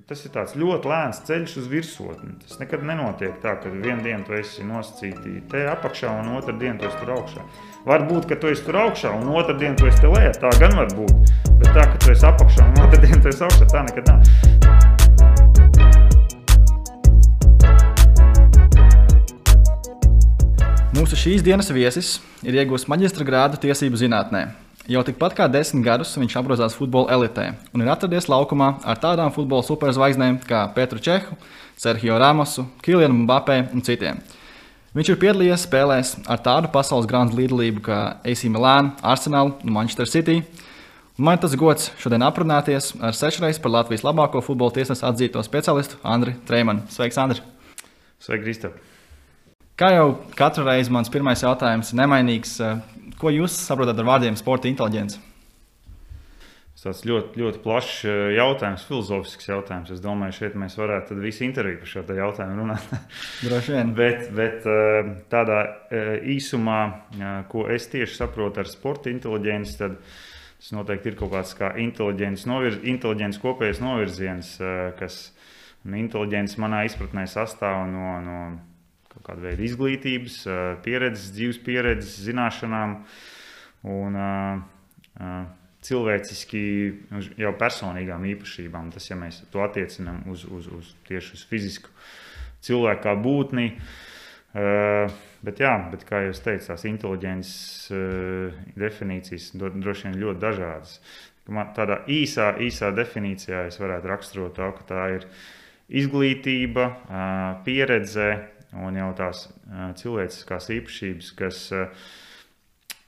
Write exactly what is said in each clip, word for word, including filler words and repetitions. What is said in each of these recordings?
Tas ir tāds ļoti lēns ceļš uz virsotni. Tas nekad nenotiek tā, ka vienu dienu tu esi nosacīti te apakšā un otru dienu tu esi tur augšā. Varbūt, ka tu esi tur augšā un otru dienu tu esi te lejā, tā gan var būt. Bet tā, ka tu esi apakšā un otru dienu tu esi augšā, tā nekad nav. Mūsu šīs dienas viesis ir iegūst maģistra grādu tiesību zinātnē. Jau tikpat kā desmit gadus viņš apgrozās futbola elitē un ir atradies laukumā ar tādām futbola superzvaigznēm kā Petru Čehu, Serhio Ramosu, Kilianu Mbappé un citiem. Viņš ir piedalījies spēlēs ar tādu pasaules grandu līdzdalību kā A C Milan, Arsenal un Manchester City. Un man tas gods šodien aprunāties ar sešreiz par Latvijas labāko futbola tiesnesu atzīto specialistu Andri Treimanu. Sveiks, Andri! Sveiki, Kristap! Kā jau katru reizi mans pirmais jautājums ir nemainīgs. Ko jūs saprotat ar vārdiem sporta inteliģence? Tas ļoti, ļoti plašs jautājums, filozofisks jautājums. Es domāju, šeit mēs varētu tad visu interviju par šo jautājumu runāt. Droši vien. bet, bet tādā īsumā, ko es tieši saprotu ar sporta inteliģenci, tad tas noteikti ir kaut kāds kā inteliģents, novirz, inteliģents kopējais novirziens, kas inteliģents manā izpratnē sastāv no, no kāda veida izglītības, pieredzes, dzīves pieredzes, zināšanām un uh, uh, cilvēciski jau personīgām īpašībām. Tas, ja mēs to attiecinām uz, uz, uz tieši uz fizisku cilvēku kā būtni. Uh, bet jā, bet kā jūs teicat, tās inteliģences uh, definīcijas droši vien ļoti dažādas. Tādā īsā, īsā definīcijā es varētu raksturot to, ka tā ir izglītība, uh, pieredze, un jau tās uh, cilvēciskās īpašības, kas uh,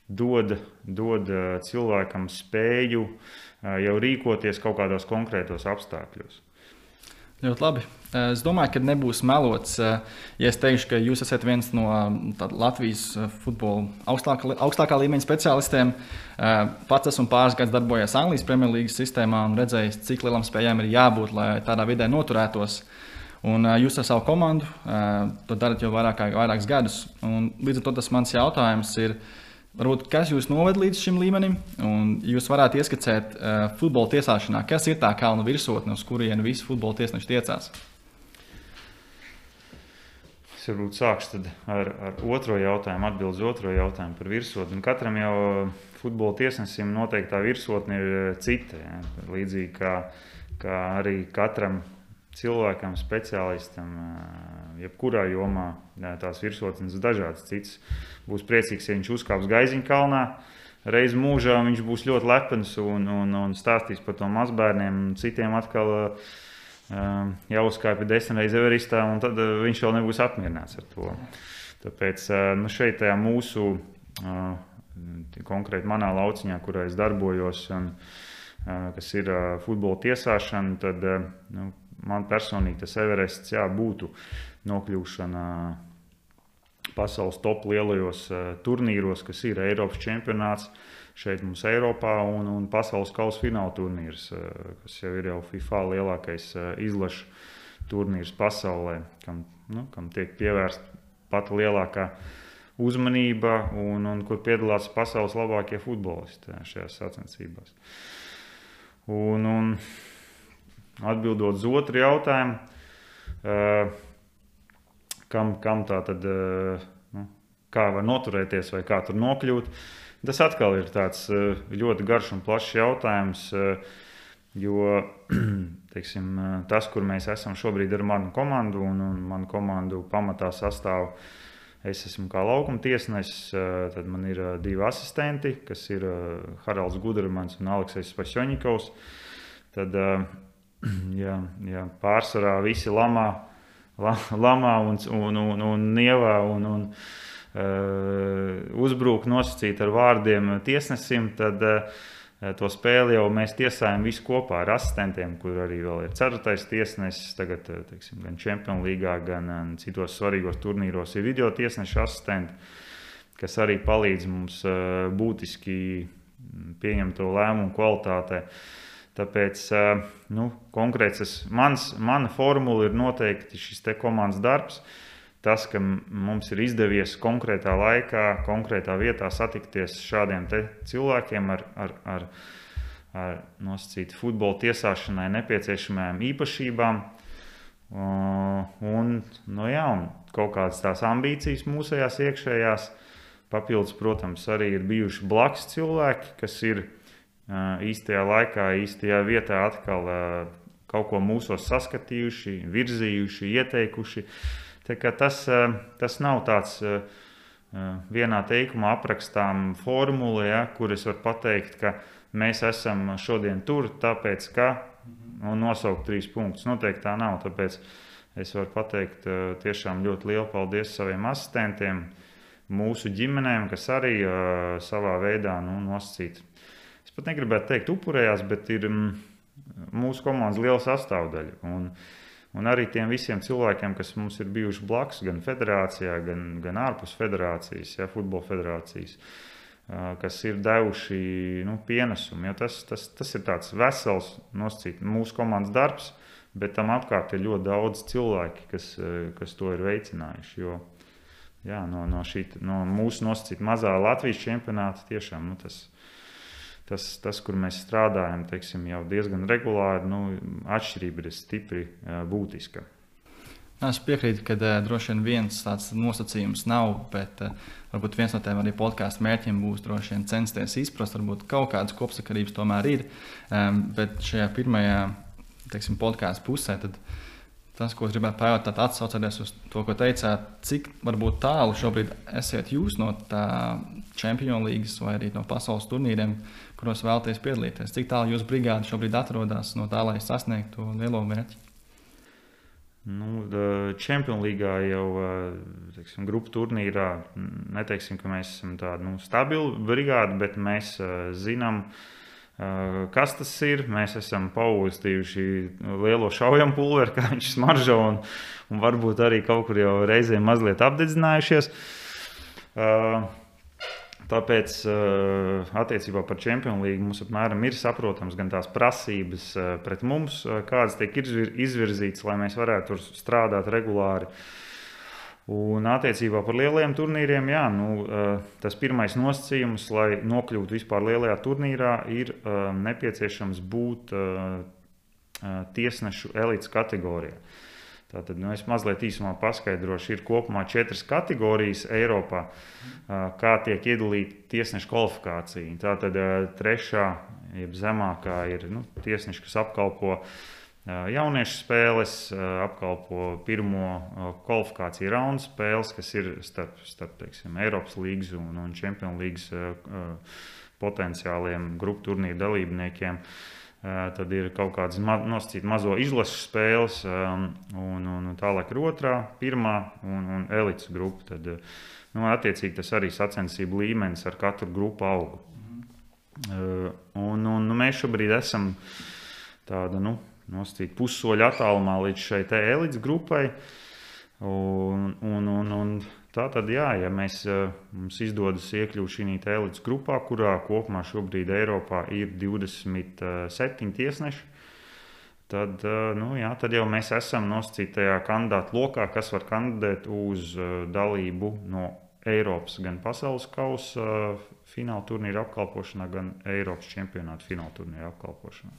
dod, dod uh, cilvēkam spēju uh, jau rīkoties kaut kādos konkrētos apstākļos. Ļoti labi. Es domāju, ka nebūs melots, ja es teikšu, ka jūs esat viens no Latvijas futbola augstākā, augstākā līmeņa speciālistiem. Pats esmu pāris gadus darbojies Anglijas Premjerlīgas sistēmā un redzējis, cik lielam spējām ir jābūt, lai tādā vidē noturētos. Un uh, jūs ar savu komandu uh, to darat jau vairāk, vairākus gadus. Un līdz ar to tas mans jautājums ir, varbūt, kas jūs noved līdz šim līmenim? Un jūs varētu ieskicēt uh, futbola tiesāšanā, kas ir tā kalna virsotne, uz kurienu visi futbola tiesneši tiecās? Es varbūt sākšu tad ar, ar otro jautājumu, atbildu uz otro jautājumu par virsotni. Katram jau futbola tiesnesim noteikti tā virsotne ir cita. Ja? Līdzīgi kā, kā arī katram cilvēkam, speciālistam, jebkurā jomā tās virsotnes dažādas citas. Būs priecīgs, ja viņš uzkāps Gaiziņkalnā. Reiz mūžā viņš būs ļoti lepns un, un, un stāstīs par to mazbērniem. Citiem atkal uh, jāuzkāpja desmit reiz Everestā, un tad uh, viņš vēl nebūs apmierināts ar to. Tāpēc uh, nu šeit tajā mūsu, uh, konkrēti manā lauciņā, kurā es darbojos, un, uh, kas ir uh, futbola tiesāšana, tad uh, nu, man personīgi tas Everests jā, būtu nokļūšana pasaules top lielajos uh, turnīros, kas ir Eiropas čempionāts šeit mums Eiropā un, un pasaules kausa fināla turnīrs, uh, kas jau ir jau FIFA lielākais uh, izlašu turnīrs pasaulē, kam, nu, kam tiek pievērsta pat lielākā uzmanība un, un kur piedalās pasaules labākie futbolisti šajās sacensībās. Un, un atbildot uz otru jautājumu, uh, kam, kam tā tad, uh, nu, kā var noturēties vai kā tur nokļūt, tas atkal ir tāds uh, ļoti garš un plašs jautājums, uh, jo teiksim, tas, kur mēs esam šobrīd ar manu komandu, un, un manu komandu pamatā sastāv, es esmu kā laukuma tiesnesis, uh, tad man ir uh, divi asistenti, kas ir uh, Haralds Gudermans un Aleksejs Pašķoņikovs. Tad uh, Jā, jā, pārsvarā visi lamā, la, lamā un, un, un, un nievā un, un uh, uzbrūk nosacīt ar vārdiem tiesnesim, tad uh, to spēli jau mēs tiesājam visu kopā ar asistentiem, kur arī vēl ir ceturtais tiesnesis, tagad teiksim, gan Champions līgā, gan uh, citos svarīgos turnīros ir video tiesneša asistenti, kas arī palīdz mums uh, būtiski pieņemt to lēmumu kvalitātē. Tāpēc nu, konkrēts, mans, mana formula ir noteikti šis te komandas darbs. Tas, ka mums ir izdevies konkrētā laikā, konkrētā vietā satikties šādiem te cilvēkiem ar, ar, ar ar nosacītu futbola tiesāšanai nepieciešamajām īpašībām. Un, nu jā, un kaut kādas tās ambīcijas mūsējās iekšējās. Papildus, protams, arī ir bijuši blakus cilvēki, kas ir īstajā laikā, īstajā vietā atkal kaut ko mūsos saskatījuši, virzījuši, ieteikuši. Tā kā tas, tas nav tāds vienā teikumā aprakstām formula, ja, kur es varu pateikt, ka mēs esam šodien tur, tāpēc, ka un nosaukt trīs punktus. Noteikti tā nav, tāpēc es varu pateikt tiešām ļoti lielu paldies saviem asistentiem, mūsu ģimenēm, kas arī uh, savā veidā nu, nosacīt. Es pat negribētu teikt upurējās, bet ir mm, mūsu komandas liela sastāvdaļa. Un, un arī tiem visiem cilvēkiem, kas mums ir bijuši blakus, gan federācijā, gan, gan ārpus federācijas, ja, futbola federācijas, uh, kas ir devuši nu, pienesumu. Ja, tas, tas, tas ir tāds vesels nosacīt mūsu komandas darbs, bet tam apkārt ir ļoti daudz cilvēki, kas, kas to ir veicinājuši. Jo, Jā, no, no, šī, no mūsu nosacīta mazā Latvijas čempionāta tiešām nu, tas, tas, tas, kur mēs strādājam, teiksim, jau diezgan regulāri, nu, atšķirība ir stipri būtiska. Es piekrītu, ka uh, droši vien viens tāds nosacījums nav, bet uh, varbūt viens no tiem arī podkāstu mērķiem būs droši vien censties izprast, varbūt kaut kādas kopsakarības tomēr ir, um, bet šajā pirmajā, teiksim, podkāstu pusē, tad tas, ko es gribētu pajautāt, atsaucoties uz to, ko teicāt, cik varbūt tālu šobrīd esiet jūs no tā Čempionu līgas vai arī no pasaules turnīriem, kuros vēlaties piedalīties? Cik tālu jūsu brigāde šobrīd atrodas no tā, lai sasniegtu to lielo mērķi? Nu, Čempionu līgā jau teiksim, grupu turnīrā neteiksim, ka mēs esam tāda nu, stabila brigāde, bet mēs zinām, kas tas ir. Mēs esam paustījuši lielo šaujam pulveri, kā viņš smaržo, un, un varbūt arī kaut kur jau reizēm mazliet apdedzinājušies. Tāpēc attiecībā par Čempionu līgu mums apmēram ir saprotams gan tās prasības pret mums, kādas tiek izvirzītas, lai mēs varētu tur strādāt regulāri. Un attiecībā par lielajiem turnīriem, jā, nu, tas pirmais nosacījums, lai nokļūtu vispār lielajā turnīrā, ir nepieciešams būt tiesnešu elites kategorijā. Tātad, nu, es mazliet īsumā paskaidrošu, ir kopumā četras kategorijas Eiropā, kā tiek iedalīta tiesnešu kvalifikācija. Tātad trešā, jeb zemākā ir nu, tiesneši, kas apkalpo jauniešu spēles, apkalpo pirmo kvalifikāciju raundu spēles, kas ir starp, starp teiksim, Eiropas līgas un, un Čempionu līgas potenciāliem grupu turnīru dalībniekiem. Tad ir kaut kādas ma nosacīt mazo izlašu spēles, un, un tālāk ir otrā, pirmā un, un elites grupa. Tad, nu, attiecīgi tas arī sacensību līmenis ar katru grupu augu. Mm. Un, un mēs šobrīd esam tāda, nu, nosacīt pussoļa attālumā līdz šai te elites grupai. Un, un, un, un tā tad, jā, ja mēs, mums izdodas iekļūt šī elites grupā, kurā kopumā šobrīd Eiropā ir divdesmit septiņi tiesneši, tad, nu, jā, tad jau mēs esam nosacītajā kandidātu lokā, kas var kandidēt uz dalību no Eiropas gan pasaules kausa fināla turnīra apkalpošanā, gan Eiropas čempionāta fināla turnīra apkalpošanā.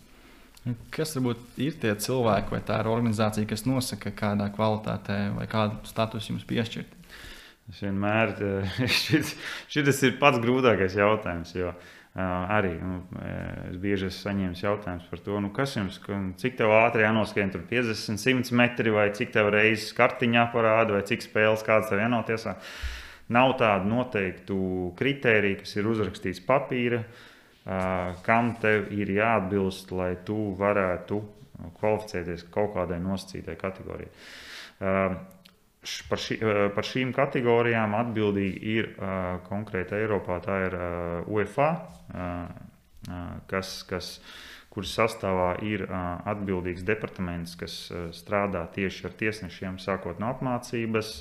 Kas varbūt ir tie cilvēki vai tā ir organizācija, kas nosaka, kādā kvalitātē vai kādu statusu jums piešķirt? Es vienmēr, šis, šis ir pats grūtākais jautājums, jo uh, arī nu, es bieži esmu saņēmis jautājums par to, nu, kas jums, cik tev ātri jānoskrien tur piecdesmit, simt metri, vai cik tev reizes kartiņā parāda, vai cik spēles kāds tev jānotiesā. Nav tādu noteiktu kritēriju, kas ir uzrakstīts papīra, uh, kam tev ir jāatbilst, lai tu varētu kvalificēties kaut kādai nosacītai kategorijai. Uh, Par, ši, par šīm kategorijām atbildīgi ir uh, konkrēti Eiropā, tā ir uh, UEFA, uh, kas, kas, kuras sastāvā ir uh, atbildīgs departaments, kas uh, strādā tieši ar tiesnešiem, sākot no apmācības,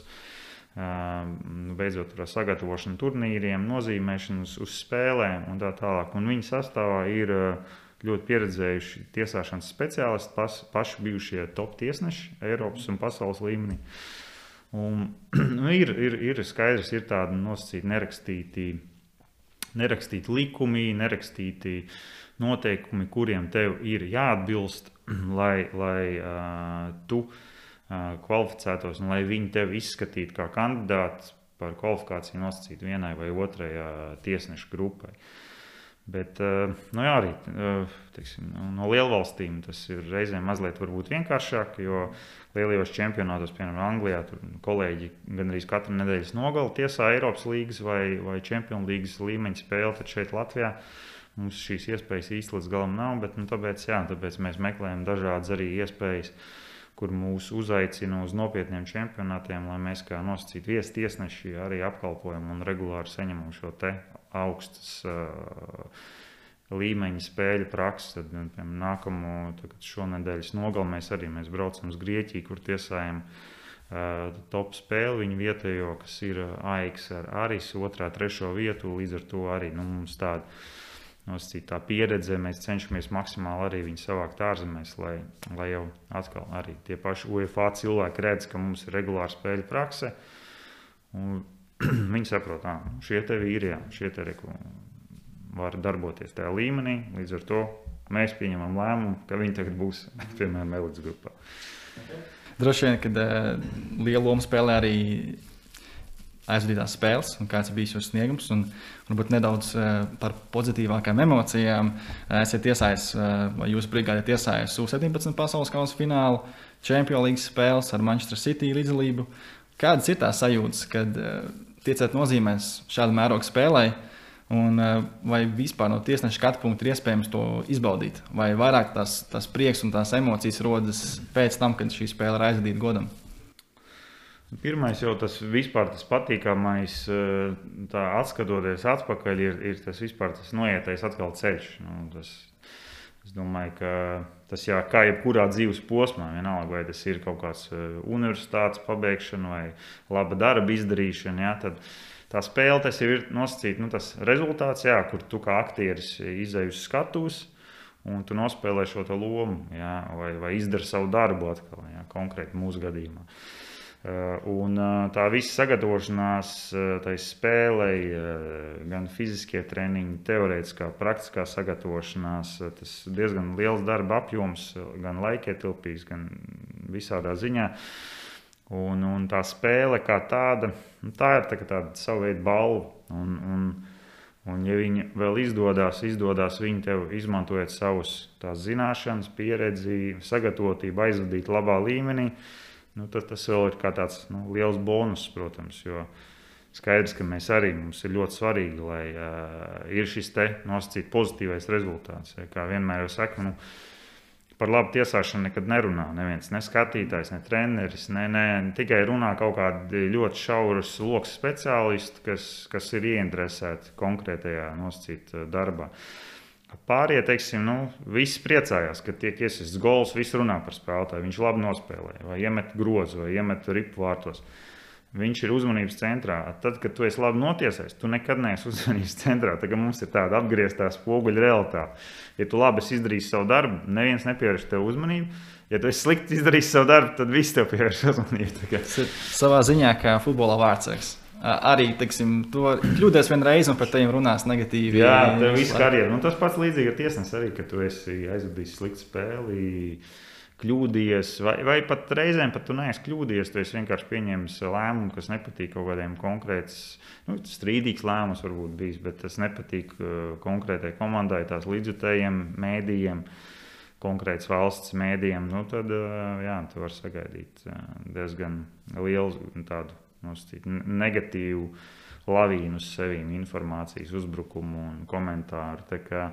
uh, beidzot ar sagatavošanu turnīriem, nozīmēšanu uz, uz spēlēm un tā tālāk. Un viņu sastāvā ir uh, ļoti pieredzējuši tiesāšanas speciālisti, pas, paši bijušie top tiesneši Eiropas un pasaules līmenī. Un, nu, ir, ir, ir skaidrs, ir tādi nosacīti nerakstīti, nerakstīti likumi, nerakstīti noteikumi, kuriem tev ir jāatbilst, lai, lai uh, tu uh, kvalificētos un lai viņi tevi izskatītu kā kandidāts par kvalifikāciju nosacīt vienai vai otrai uh, tiesnešu grupai. Bet nu jā, arī teiksim, no lielvalstīm tas ir reizēm mazliet varbūt vienkāršāk, jo lielajos čempionātos, piemēram, Anglijā, tur kolēģi gandrīz katru nedēļas nogali tiesā Eiropas līgas vai, vai Champions līgas līmeņa spēli, tad šeit Latvijā mums šīs iespējas īsti līdz galam nav, bet nu, tāpēc, jā, tāpēc mēs meklējam dažādas arī iespējas, kur mūs uzaicina uz nopietniem čempionātiem, lai mēs kā nosacīti viestiesneši arī apkalpojam un regulāri saņemam šo te augstas uh, līmeņa spēļu praksi. Tad, piemēram, nākamo šonedēļas nogali mēs arī mēs braucam uz Grieķiju, kur tiesājam uh, top spēli viņu vietējo, kas ir A X ar Aris, otrā, trešo vietu, līdz ar to arī nu, mums tāda nosacīta tā pieredze, mēs cenšamies maksimāli arī viņu savākt ārzemēs, lai, lai jau atkal arī tie paši UEFA cilvēki redz, ka mums ir regulāra spēļu prakse, un viņi saprot, ka šie te vīri, šie te reku var darboties tajā līmenī, līdz ar to mēs pieņemam lēmumu, ka viņi tagad būs, piemēram, elites grupā. Droši vien, kad uh, lielu lomu spēlē arī aizvadītās spēles un kāds ir bijis jūsu sniegums un varbūt nedaudz uh, par pozitīvākām emocijām. Uh, esat tiesājis, uh, vai jūsu brigāde tiesājis U septiņpadsmit pasaules kausa finālu, Champions līgas spēles ar Manchester City līdzdalību. Kādas ir tās sajūtas, kad uh, tiecēt nozīmēs šādu mērogu spēlē, un vai vispār no tiesneša skatu punkta ir iespējams to izbaudīt? Vai vairāk tās, tās prieks un tās emocijas rodas pēc tam, kad šī spēle ir aizvadīta godam? Pirmais jau tas vispār tas patīkamais, tā atskatoties atpakaļ, ir, ir tas vispār tas noietais atkal ceļš. Nu, tas, es domāju, ka tas jā, kā jebkurā dzīves posmā, vienalga, vai tas ir kaut kāds universitātes pabeigšana vai laba darba izdarīšana, jā, tad tā spēle tas jau ir nosacīta, nu, tas rezultāts, jā, kur tu kā aktieris izej uz skatuves un tu nospēlē šo to lomu, jā, vai, vai izdari savu darbu atkal, jā, konkrēti mūsu gadījumā. Un tā visa sagatavošanās tai spēlei, gan fiziskie treniņi, teorētiskā, praktiskā sagatavošanās, tas diezgan liels darba apjoms, gan laikietilpīgs, gan visādā ziņā. Un, un tā spēle kā tāda, tā ir tā, tāda savu veidu balva. Un, un, un ja viņi vēl izdodas, izdodas viņi tev izmantojot savus tās zināšanas, pieredzi, sagatavotību, aizvadīt labā līmenī, nu, tad tas vēl ir kā tāds nu, liels bonus, protams, jo skaidrs, ka mēs arī, mums ir ļoti svarīgi, lai uh, ir šis te nosacīt pozitīvais rezultāts. Ja, kā vienmēr jau saka, nu, par labu tiesāšanu nekad nerunā. Neviens, ne skatītājs, ne treneris, ne, ne, ne tikai runā kaut kādi ļoti šauras loks speciālisti, kas, kas ir ieinteresēti konkrētajā nosacīt darbā. Pārējie, teiksim, nu, visi priecājās, kad tiek iesists gols, visi runā par spēlētāju, viņš labi nospēlē, vai iemet grozu, vai iemet ripu vārtos. Viņš ir uzmanības centrā. Tad, kad tu esi labi notiesājis, tu nekad neesi uzmanības centrā. Tagad mums ir tāda apgrieztā spoguļa realitāte. Ja tu labi esi izdarījis savu darbu, neviens nepievērš tev uzmanību. Ja tu esi slikti izdarījis savu darbu, tad visi tev pievērš uzmanību. Savā ziņā kā futbolā vārdsargs. Arī, teiksim, tu kļūdies vienreiz un par tevi runās negatīvi. Jā, tev viss karjeru. Nu, tas pats līdzīgi ar tiesnesi arī, ka tu esi aizvadījis sliktu spēli, kļūdījies, vai, vai pat reizēm pat tu neesi kļūdījies, tu esi vienkārši pieņēmis lēmumu, kas nepatīk kaut kādiem konkrēts, nu, strīdīgs lēmums varbūt bijis, bet tas nepatīk konkrētai komandai, tās līdzjutējiem, mēdījiem, konkrēts valsts mēdījiem, nu, tad, jā, tu vari sagaidīt diezgan lielu tādu nosacīt negatīvu lavīnu uz sevīm, informācijas uzbrukumu un komentāru. Tā kā,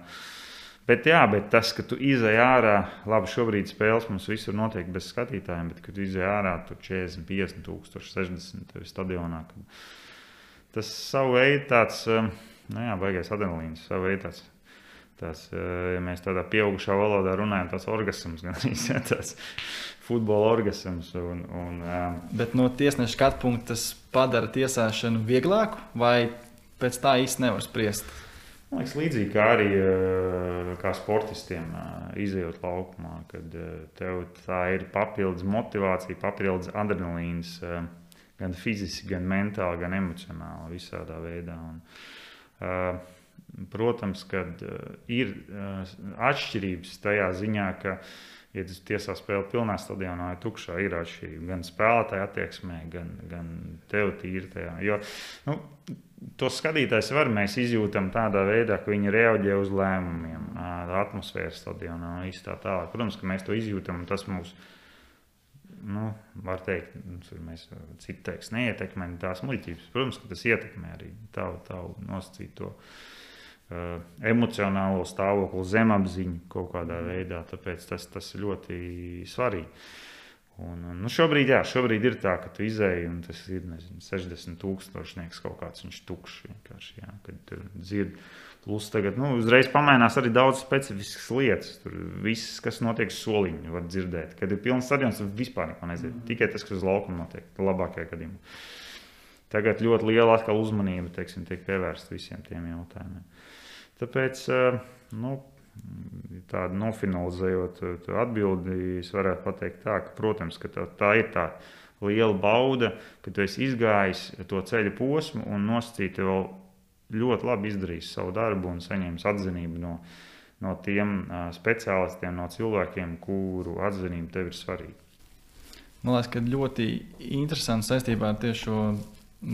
bet jā, bet tas, ka tu izej ārā, labi, šobrīd spēles mums visur notiek bez skatītājiem, bet kad tu izej ārā, tu četrdesmit, piecdesmit tūkstoši, sešdesmit stadionā. Tas savu veidu tāds, nu jā, baigais adrenalīns, savu veidu tāds. Tas, ja mēs tādā pieaugušā valodā runājam, tas orgasms, gan arī tāds futbola orgasms. Un, un, Bet no tiesneša skatu punkta tas padara tiesāšanu vieglāku, vai pēc tā īsti nevar spriest? Man liekas, līdzīgi kā arī kā sportistiem izejot laukumā, kad tev tā ir papildus motivācija, papildus adrenalīns, gan fiziski, gan mentāli, gan emocionāli, visādā veidā. Un, protams, kad ir atšķirības tajā ziņā, ka, ja tas tiesā spēle pilnā stadionā vai tukšā, ir atšķirība gan spēlētāja attieksmē, gan, gan tev tīri tajā. Jo, nu, tos skatītājs var mēs izjūtam tādā veidā, ka viņi reaģē uz lēmumiem, atmosfēras stadionā un tā tālāk. Protams, ka mēs to izjūtam, un tas mūs, nu, var teikt, mēs citi teiks, neietekmē tās muļķības. Protams, ka tas ietekmē arī tavu, tavu nosacīto uh, emocionālo stāvokli, zemapziņu kaut kādā veidā, tāpēc tas, tas ir ļoti svarīgi. Un, nu, šobrīd, jā, šobrīd ir tā, ka tu izēji, un tas ir, nezinu, sešdesmit tūkstošnieks kaut kāds, viņš tukšs vienkārši, jā, kad tu dzird. Plus tagad, nu, uzreiz pamainās arī daudz specifiskas lietas. Tur viss, kas notiek soliņu, var dzirdēt. Kad ir pilns stadions, tu vispār neko nezinu. Tikai tas, kas uz laukuma notiek, labākajā gadījumā. Tagad ļoti liela atkal uzmanība, teiksim, tiek pievērsta visiem tiem jautājumiem. Tāpēc, nu, tādu nofinalizējot atbildi, es varētu pateikt tā, ka, protams, ka tā, tā ir tā liela bauda, ka tu esi izgājis to ceļa posmu un nosacīti vēl ļoti labi izdarījis savu darbu un saņēmis atzinību no, no tiem uh, speciālistiem, no cilvēkiem, kuru atzinība tev ir svarīga. Man liekas, ka ļoti interesanti saistībā ar tieši šo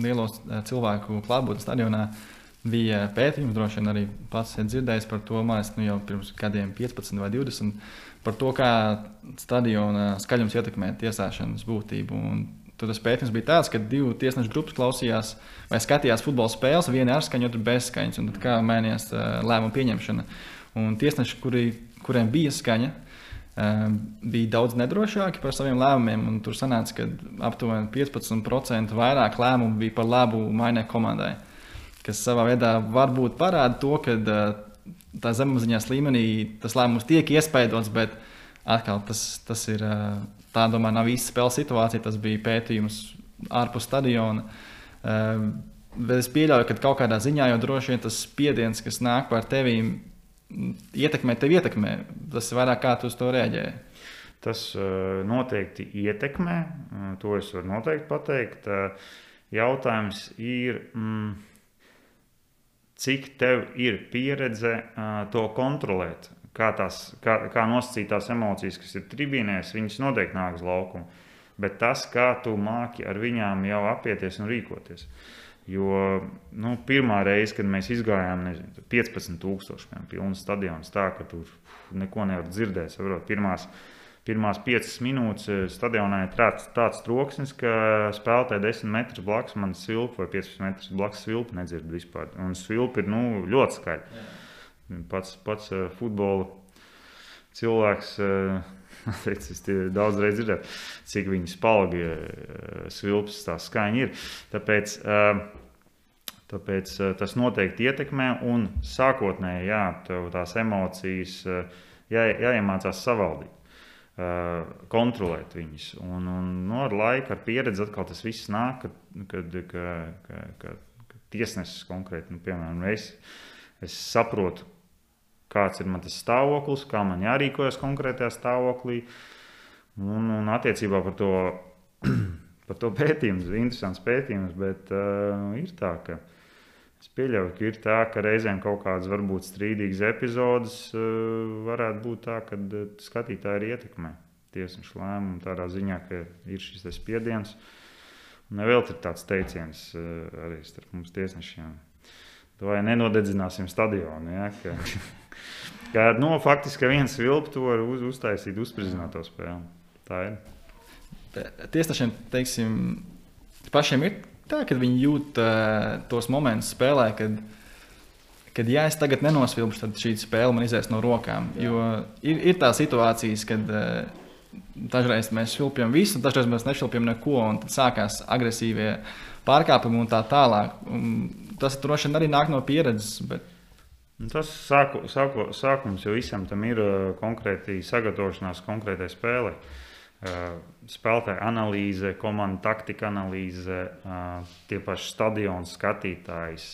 lielo cilvēku klātbūtni stadionā bija pētījums, droši vien arī pats ir dzirdējis par to, man liekas, nu jau pirms gadiem piecpadsmit vai divdesmit, par to, kā stadiona skaļums ietekmē tiesāšanas būtību. Un tad tas pētījums bija tāds, ka divu tiesnešu grupas klausījās vai skatījās futbola spēles, viena ar skaņu, otra bez skaņas, un tad kā mainījās lēmumu pieņemšana. Un tiesneši, kuri, kuriem bija skaņa, bija daudz nedrošāki par saviem lēmumiem, un tur sanāca, ka aptuveni piecpadsmit procenti vairāk lēmumu bija par labu mainē komandai, kas savā veidā varbūt parāda to, ka tā zemapziņas līmenī tas lēmums tiek iespaidots, bet atkal tas, tas ir... Tā, domāju, nav īsta spēles situācija, tas bija pētījums ārpus stadiona. Bet es pieļauju, ka kaut kādā ziņā jau droši vien tas spiediens, kas nāk par tevīm, ietekmē tevi ietekmē. Tas ir vairāk kā tu uz to reaģēji. Tas noteikti ietekmē, to es varu noteikti pateikt. Jautājums ir, cik tev ir pieredze to kontrolēt. Kā, tās, kā, kā nosacīt tās emocijas, kas ir tribīnēs, viņas noteikti nāk uz laukumu. Bet tas, kā tu māki ar viņām jau apieties un rīkoties. Jo nu, pirmā reize, kad mēs izgājām, nezinu, piecpadsmit tūkstoši, piemēram, pilns stadions, tā, ka tur neko nevar dzirdēt. Saprot, pirmās, pirmās piecas minūtes stadionā ir tāds, tāds troksnis, ka spēlētāji desmit metrus blakus man svilpa vai piecpadsmit metrus blakus svilpa nedzird vispār. Un svilpa ir nu, ļoti skaļa. Jā. Pats, pats uh, futbola cilvēks, uh, es daudz reiz dzirdēju, cik viņi spalgi uh, svilpas tā skaņa ir. Tāpēc, uh, tāpēc uh, tas noteikti ietekmē un sākotnēji, jā, tev tās emocijas uh, jā, jāiemācās savaldīt, uh, kontrolēt viņas. Un, un no ar laiku, ar pieredzi atkal tas viss nāk, kad, kad, kad, kad, kad tiesnesis konkrēti, nu, piemēram, es, es saprotu, kāds ir man tas stāvoklis, kā man jārīkojas konkrētajā stāvoklī. Un, un attiecībā par to, par to pētījumus, interesants pētījums, bet uh, ir tā, ka es pieļauju, ka ir tā, ka reizēm kaut kādas varbūt strīdīgas epizodes uh, varētu būt tā, ka skatītāji ir ietekmē tiesnešu lēmumu tādā ziņā, ka ir šis spiediens. Un vēl ir tāds teiciens uh, arī starp mums tiesnešiem. Vai nenodedzināsim stadionu, ja, ka, ka no, faktiski viens vilp to var uz, uztaisīt uzspridzināto spēli. Tā ir. Tiesnešiem, teiksim, pašiem ir tā, kad viņi jūt uh, tos momentus spēlē, kad, kad ja es tagad nenosvilpšu, tad šī spēle man izies no rokām. Jā. Jo ir, ir tā situācijas, kad uh, dažreiz mēs švilpjam visu, dažreiz mēs nešvilpjam neko, un tad sākās agresīvie pārkāpumi un tā tālāk. Un tas droši vien arī nāk no pieredzes. Bet... Tas sāku, sāku, sākums, jo visam tam ir konkrēti sagatavošanās konkrētai spēlei. Spēlētāja analīze, komanda taktika analīze, tie paši stadionu skatītājs,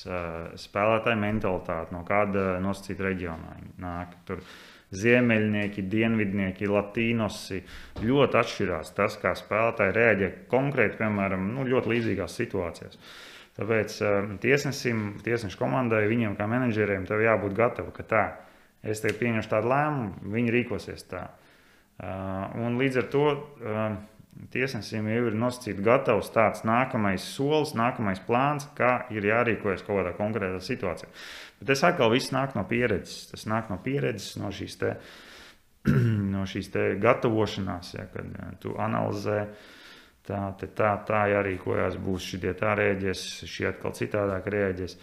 spēlētāja mentalitāte, no kāda nosacīta reģionā nāk. Tur ziemeļnieki, dienvidnieki, latīnosi ļoti atšķirās tas, kā spēlētāji reaģē konkrēti, piemēram, nu, ļoti līdzīgās situācijās. Tāpēc tiesnesim, tiesnešu komandai, viņiem kā menedžeriem, tev jābūt gatavi, ka tā, es tev pieņemšu tādu lēmumu, viņi rīkosies tā. Un līdz ar to tiesnesim jau ir nosacīts gatavs tāds nākamais solis, nākamais plāns, kā ir jārīkojas kaut kādā konkrētā situācijā. Bet tas atkal viss nāk no pieredzes. Tas nāk no pieredzes, no šīs te, no šīs te gatavošanās, ja, kad tu analizē, tā, te, tā, tā jārīkojās, būs šitie tā rēģēs, šie atkal citādāk rēģēs.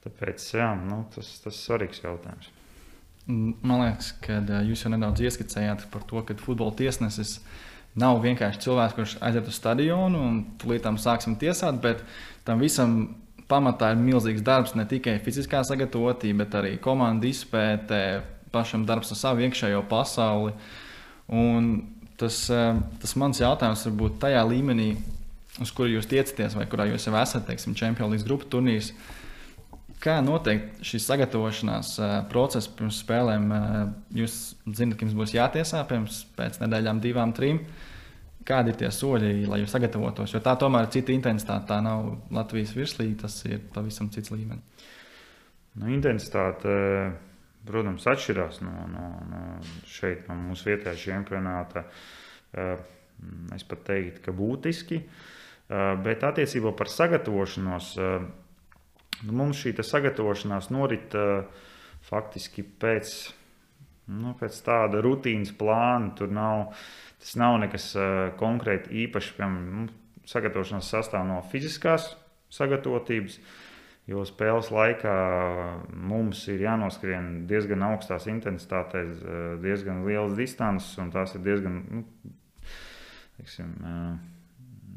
Tāpēc, jā, nu, tas, tas svarīgs jautājums. Man liekas, ka jūs jau nedaudz ieskicējāt par to, ka futbola tiesnesis nav vienkārši cilvēks, kurš aiziet uz stadionu un tūlīt tam sāksim tiesāt, bet tam visam pamatā ir milzīgs darbs, ne tikai fiziskā sagatavotība, bet arī komandu izpētē, pašam darbs ar savu iekšējo pasauli. Un tas, tas mans jautājums varbūt tajā līmenī, uz kuru jūs tiecaties, vai kurā jūs jau esat, teiksim, Champions League grupu turnīrs. Kā noteikti šis sagatavošanās process pirms spēlēm? Jūs zināt, ka jums būs jātiesā pirms pēc nedēļām divām, trim. Kādi ir tie soļi, lai jūs sagatavotos? Jo tā tomēr ir cita intensitāte. Tā nav Latvijas virslīga, tas ir pavisam cits līmenis. Nu, intensitāte, protams, atšķirās no, no, no šeit, no mūsu vietējā čempionāta. Es pat teiktu, ka būtiski. Bet attiecībā par sagatavošanos, mums šī sagatavošanās norit faktiski pēc, nu, pēc tāda rutīnas plāna. Tur nav, tas nav nekas konkrēti īpaši. Piemēram, sagatavošanās sastāv no fiziskās sagatavotības, jo spēles laikā mums ir jānoskrien diezgan augstās intensitātēs, diezgan lielas distances, un tās ir diezgan, nu, teiksim,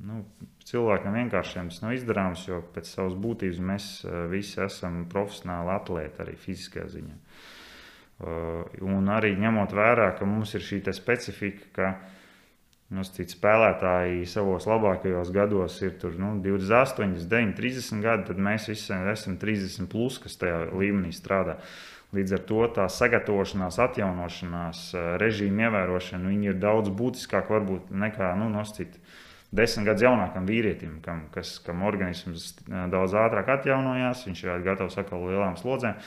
nu, cilvēkam vienkāršiem tas nav izdarāms, jo pēc savas būtības mēs visi esam profesionāli atlēti arī fiziskajā ziņā. Un arī ņemot vērā, ka mums ir šī specifika, ka nu, spēlētāji savos labākajos gados ir tur, nu, divdesmit astoņi, deviņi, trīsdesmit gadi, tad mēs visi esam trīsdesmit plus, kas tajā līmenī strādā. Līdz ar to tā sagatavošanās, atjaunošanās, režīma ievērošana, viņi ir daudz būtiskāk varbūt nekā, nu, nosacīt desmit gadus jaunākam vīrietim, kam, kas, kam organisms daudz ātrāk atjaunojās, viņš ir gatavs atkal lielām slodzēm.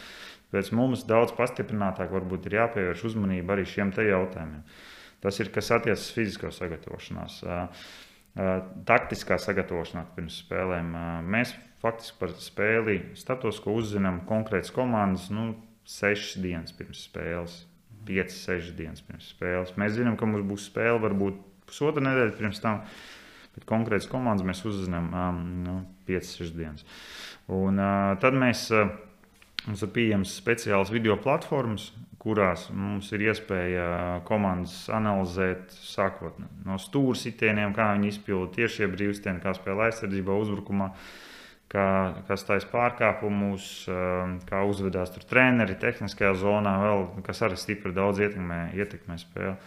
Pēc mums daudz pastiprinātāk varbūt ir jāpievērš uzmanība arī šiem te jautājumiem. Tas ir, kas attiecas fiziskā sagatavošanās. Taktiskā sagatavošanās pirms spēlēm. Mēs faktiski par spēli starptautisko uzzinām konkrētas komandas, nu, sešas dienas pirms spēles, piecas, sešas dienas pirms spēles. Mēs zinām, ka mums būs spēle varbūt pusotra nedēļa pirms tam, bet konkrētas komandas mēs uzzinām nu, piecas, sešas dienas. Un tad mēs... Mums ir pieejams speciāls video platformas, kurās mums ir iespēja komandas analizēt sākot no stūra sitieniem, kā viņi izpilda tiešie brīvstieni, kā spēlē aizsardzībā, uzbrukumā, kā, kas taisa pārkāpumus, kā uzvedās tur treneri tehniskajā zonā, vēl, kas arī stipri daudz ietekmē, ietekmē spēli.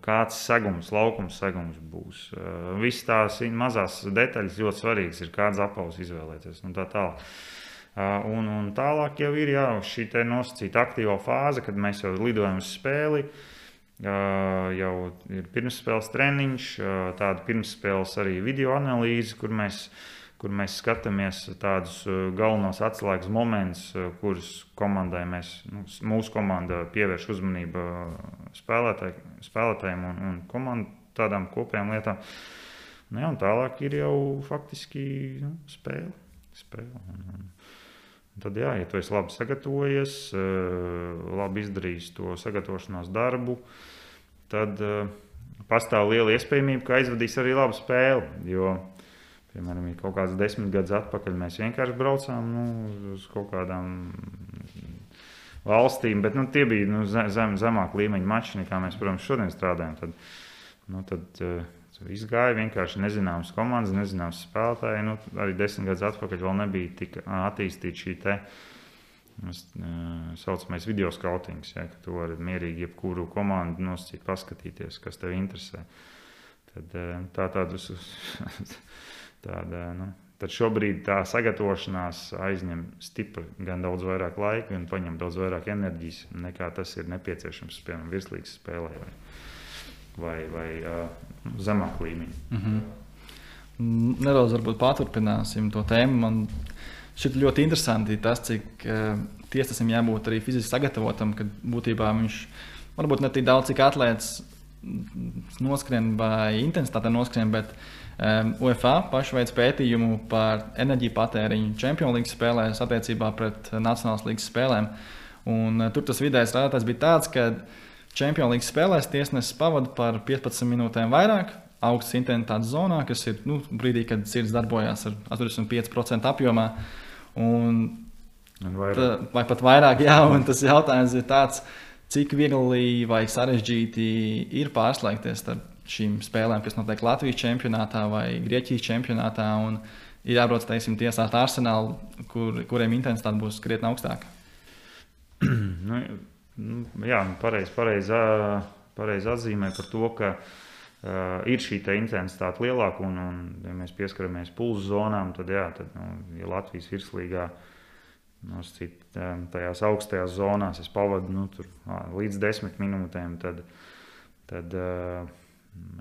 Kāds segums, laukums segums būs. Viss tās mazās detaļas ļoti svarīgas ir, kāds apavs izvēlēties un tā tālāk. Un, un tālāk jau ir jā, šī te nosacīta aktīvā fāze, kad mēs jau lidojam uz spēli, jau ir pirmsspēles treniņš, tāda pirmsspēles arī video analīze, kur mēs, kur mēs skatāmies tādus galvenos atslēgas momentus, kurus komandai mēs, nu, mūsu komanda pievērš uzmanību spēlētāj, spēlētājiem un, un komandu tādām kopējām lietām. Nu, jā, un tālāk ir jau faktiski nu, spēle. spēle un, un, Tad, jā, ja tu esi labi sagatavojies, labi izdarījis to sagatavošanās darbu, tad pastāv liela iespējamība, ka aizvadīs arī labu spēli. Jo, piemēram, kaut kāds desmit gadus atpakaļ mēs vienkārši braucām nu, uz kaut kādām valstīm, bet nu, tie bija nu, zem, zemāk līmeņa mači, nekā mēs, protams, šodien strādājam. Tad, nu, tad, izgāja vienkārši nezināmas komandas, nezināmas spēlētāji. Nu, arī desmit gadus atpakaļ vēl nebija tik attīstīta šī te saucamais video skautings, ja, ka tu vari mierīgi jebkuru komandu nosacīt, paskatīties, kas tev interesē. Tad, tā, tādus, tāda, nu, tad šobrīd tā sagatavošanās aizņem stipri gan daudz vairāk laika, gan paņem daudz vairāk enerģijas, nekā tas ir nepieciešams, piemēram, virslīgas spēlē. Vai, vai, vai uh, zemāk līmeņi. Mm-hmm. Nedaudz varbūt paturpināsim to tēmu. Man šķiet ļoti interesanti tas, cik uh, tiesnesim jābūt arī fiziski sagatavotam, kad būtībā viņš varbūt ne tik daudz, cik atlēts noskrien vai intensitātē noskrien, bet um, UEFA paši veids pētījumu par enerģiju patēriņu Champions League spēlēs attiecībā pret Nacionālās līgas spēlēm. Un, uh, tur tas vidējais rādītājs bija tāds, ka Champions League spēlēs tiesnesis pavada par piecpadsmit minūtēm vairāk augstas intensitātes zonā, kas ir nu, brīdī, kad sirds darbojās ar astoņdesmit pieci procenti apjomā. Un, un tā, vai pat vairāk, jā, un tas jautājums ir tāds, cik viegli vai sarežģīti ir pārslēgties ar šīm spēlēm, kas notiek Latvijas čempionātā vai Grieķijas čempionātā, un ir jābrauc, teiksim, tiesāt Arsenālu, kur, kuriem intensitāte būs krietni augstāka. nu, jā, pareizi pareiz, pareiz atzīmē par to, ka uh, ir šī intensitāte lielāka, un, un ja mēs pieskaramies pulsu zonām, tad, jā, tad nu, ja Latvijas virslīgā Noscīt, tajās augstajās zonās es pavadu nu, tur, līdz desmit minūtēm, tad, tad uh,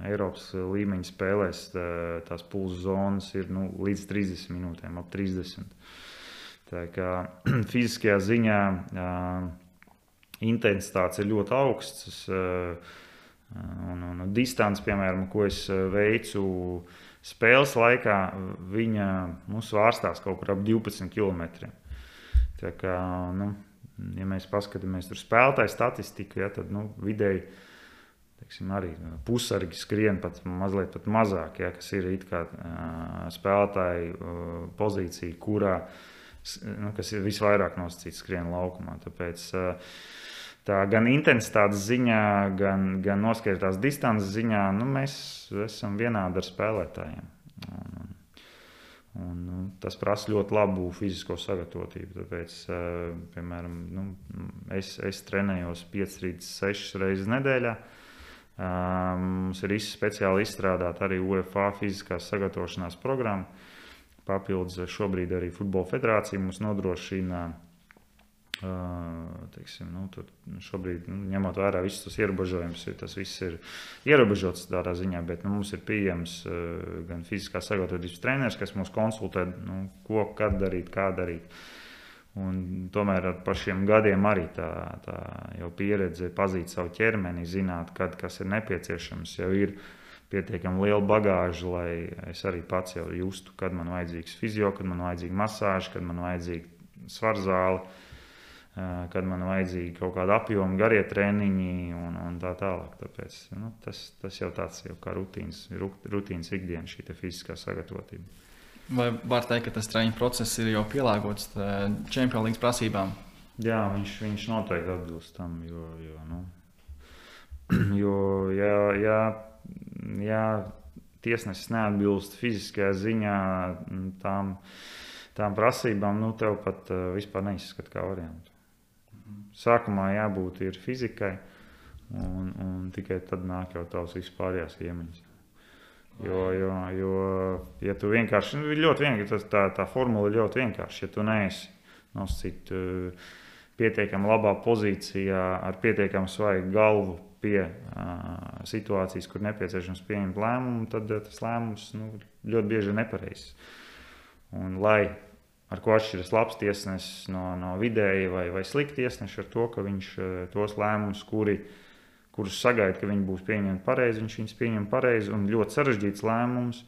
Eiropas līmeņa spēlēs tā, tās pulsu zonas ir nu, līdz trīsdesmit minūtēm, ap trīsdesmit. Tā kā fiziskajā ziņā uh, intensitātes ir ļoti augstas, uh, un, un distance, piemēram, ko es veicu spēles laikā, viņa mums vārstās kaut kur ap divpadsmit kilometriem. Tā kā, nu, ja mēs paskatāmies tur spēlētāju statistiku, ja, tad nu, vidēji teiksim, arī pusargi skrien pat mazliet pat mazāk, ja, kas ir it kā spēlētāju pozīcija, kurā, nu, kas ir visvairāk nosacīts skrien laukumā. Tāpēc tā gan intensitātes ziņā, gan, gan noskaitās distances ziņā, nu, mēs esam vienādi ar spēlētājiem. Un, Un, nu, tas prasa ļoti labu fizisko sagatavotību. Tāpēc, uh, piemēram, nu, es, es trenējos piecas līdz sešas reizes nedēļā. Uh, mums ir speciāli izstrādāta arī UEFA fiziskās sagatavošanās programma. Papildus šobrīd arī Futbola federācija mums nodrošina, uh, teiksim, nu, tur šobrīd, nu, ņemot vērā visus tos ierobežojumus, tas viss ir ierobežots tādā ziņā, bet nu, mums ir pieejams uh, gan fiziskā sagatavotības treneris, kas mūs konsultē, nu, ko, kad darīt, kā darīt. Un tomēr ar par šiem gadiem arī tā, tā jau pieredze pazīt savu ķermeni, zināt, kad kas ir nepieciešams, jau ir pietiekami liela bagāža, lai es arī pats jau justu, kad man vajadzīgs fizio, kad man vajadzīga masāža, kad man vajadzīga svarzāle, kad man vajadzīgi kaut kāda apjoma, garie treniņi un, un tā tālāk. Tāpēc nu, tas, tas jau tāds jau kā rutīnas, rutīnas ikdiena, šī fiziskā sagatavotība. Vai var teikt, ka tas treniņu process ir jau pielāgots Champions League prasībām? Jā, viņš, viņš noteikti atbilst tam, jo, jo, nu, jo ja, ja, ja tiesnesis neatbilst fiziskajā ziņā tām, tām prasībām, nu tev pat uh, vispār neizskat kā variantu. Sākumā jābūt ir fizikai, un, un tikai tad nāk jau tavs vispārējās iemaņas. Jo, jo, jo, ja tu vienkārši, ļoti vienkārši, tā, tā formula ir ļoti vienkārši, ja tu neesi nosacīt uh, pietiekami labā pozīcijā, ar pietiekami svaigu galvu pie uh, situācijas, kur nepieciešams pieņemt lēmumu, tad uh, tas lēmums nu, ļoti bieži ir nepareizs. Un lai ar ko atšķiras labs tiesnesis no, no vidēji vai, vai slikti tiesneši ar to, ka viņš tos lēmumus, kuri, kurus sagaida, ka viņi būs pieņemti pareizi, viņš viņus pieņem pareizi, un ļoti sarežģīts lēmums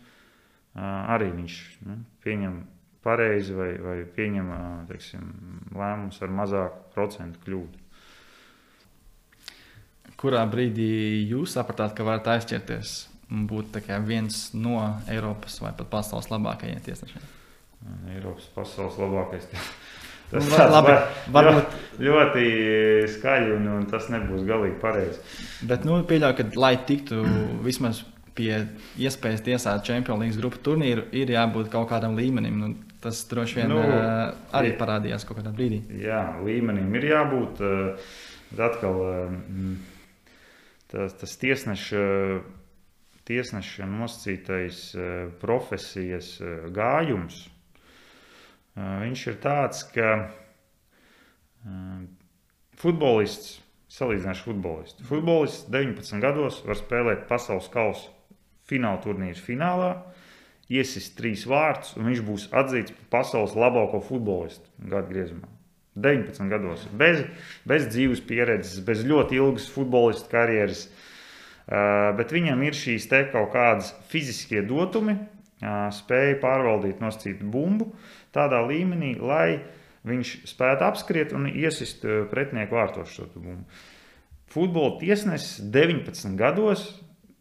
arī viņš nu, pieņem pareizi vai, vai pieņem teiksim, lēmumus ar mazāku procentu kļūdu. Kurā brīdī jūs sapratāt, ka varat aizķerties un būt tā kā viens no Eiropas vai pat pasaules labākajiem tiesnešiem? Eiropas pasaules labākais. Tas nu, labi, varbūt ļoti, ļoti skaļi un, un tas nebūs galīgi pareizi. Bet nu, pieļauju, ka lai tiktu vismaz pie iespējas tiesāt Champions League grupu turnīru, ir jābūt kaut kādam līmenim. Nu, tas droši vien nu, arī parādījās kaut kādā brīdī. Jā, līmenim ir jābūt. Atkal tas, tas tiesneša, tiesneša nosacītais profesijas gājums. Viņš ir tāds, ka futbolists, salīdzināšu futbolistu. Futbolists deviņpadsmit gados var spēlēt pasaules kausa fināla turnīru finālā, iesist trīs vārtus, un viņš būs atzīts par pasaules labāko futbolistu gadu griezumā. deviņpadsmit gados, bez, bez dzīves pieredzes, bez ļoti ilgas futbolistu karjeras, uh, bet viņam ir šīs te kaut kādas fiziskie dotumi, uh, spēja pārvaldīt nosacīt bumbu tādā līmenī, lai viņš spētu apskriet un iesist pretinieku vārtos šo bumbu. Futbola tiesnesis deviņpadsmit gados,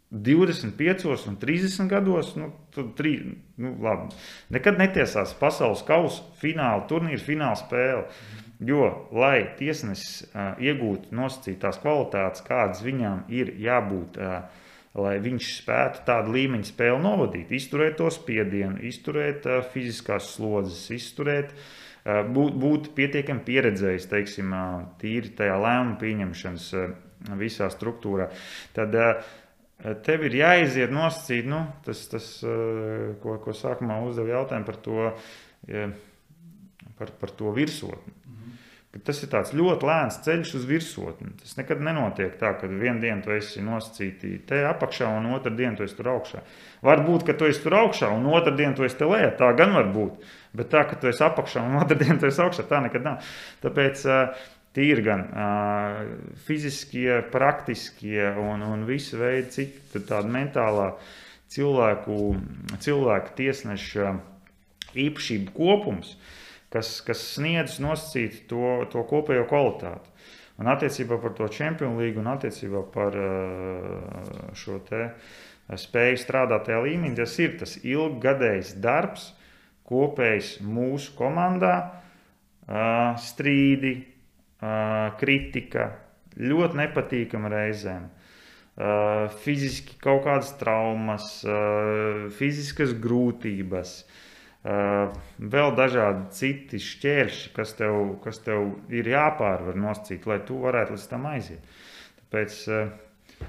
divdesmit piecos un trīsdesmit gados, nu, tri, nu labi, nekad netiesās pasaules kausa fināla, turnīra fināla spēle, jo, lai tiesnesis uh, iegūtu nosacītās kvalitātes, kādas viņām ir jābūt, uh, lai viņš spētu tādu līmeņu spēli novadīt, izturēt to spiedienu, izturēt uh, fiziskās slodzes, izturēt, uh, būt, būt pietiekami pieredzējis, teiksim, uh, tīri tajā lēmuma pieņemšanas uh, visā struktūrā, tad uh, tev ir jāiziet nosacīt, nu, tas, tas uh, ko, ko sākumā uzdev jautājumu par to, uh, par, par to virsotni. Tas ir tāds ļoti lēns ceļš uz virsotni. Tas nekad nenotiek tā, ka vienu dienu tu esi nosacīti te apakšā un otru dienu tu esi tur augšā. Varbūt, ka tu esi tur augšā un otru dienu tu esi te lejā, tā gan var būt. Bet tā, ka tu esi apakšā un otru dienu tu esi augšā, tā nekad nav. Tāpēc tīri gan fiziskie, praktiskie un, un visu veidu cita tāda mentālā cilvēku, cilvēku tiesneša īpašību kopums, Kas, kas sniedz nosacīt to, to kopējo kvalitāti. Un attiecībā par to Champions League un attiecībā par šo te spēju strādāt tajā līmenī, tas ir tas ilggadējs darbs, kopējs mūsu komandā, strīdi, kritika, ļoti nepatīkama reizēm, fiziski kaut kādas traumas, fiziskas grūtības, Uh, vēl dažādi citi šķēršļi, kas tev, kas tev ir jāpārvar nosacīt, lai tu varētu līdz tam aiziet. Tāpēc, uh,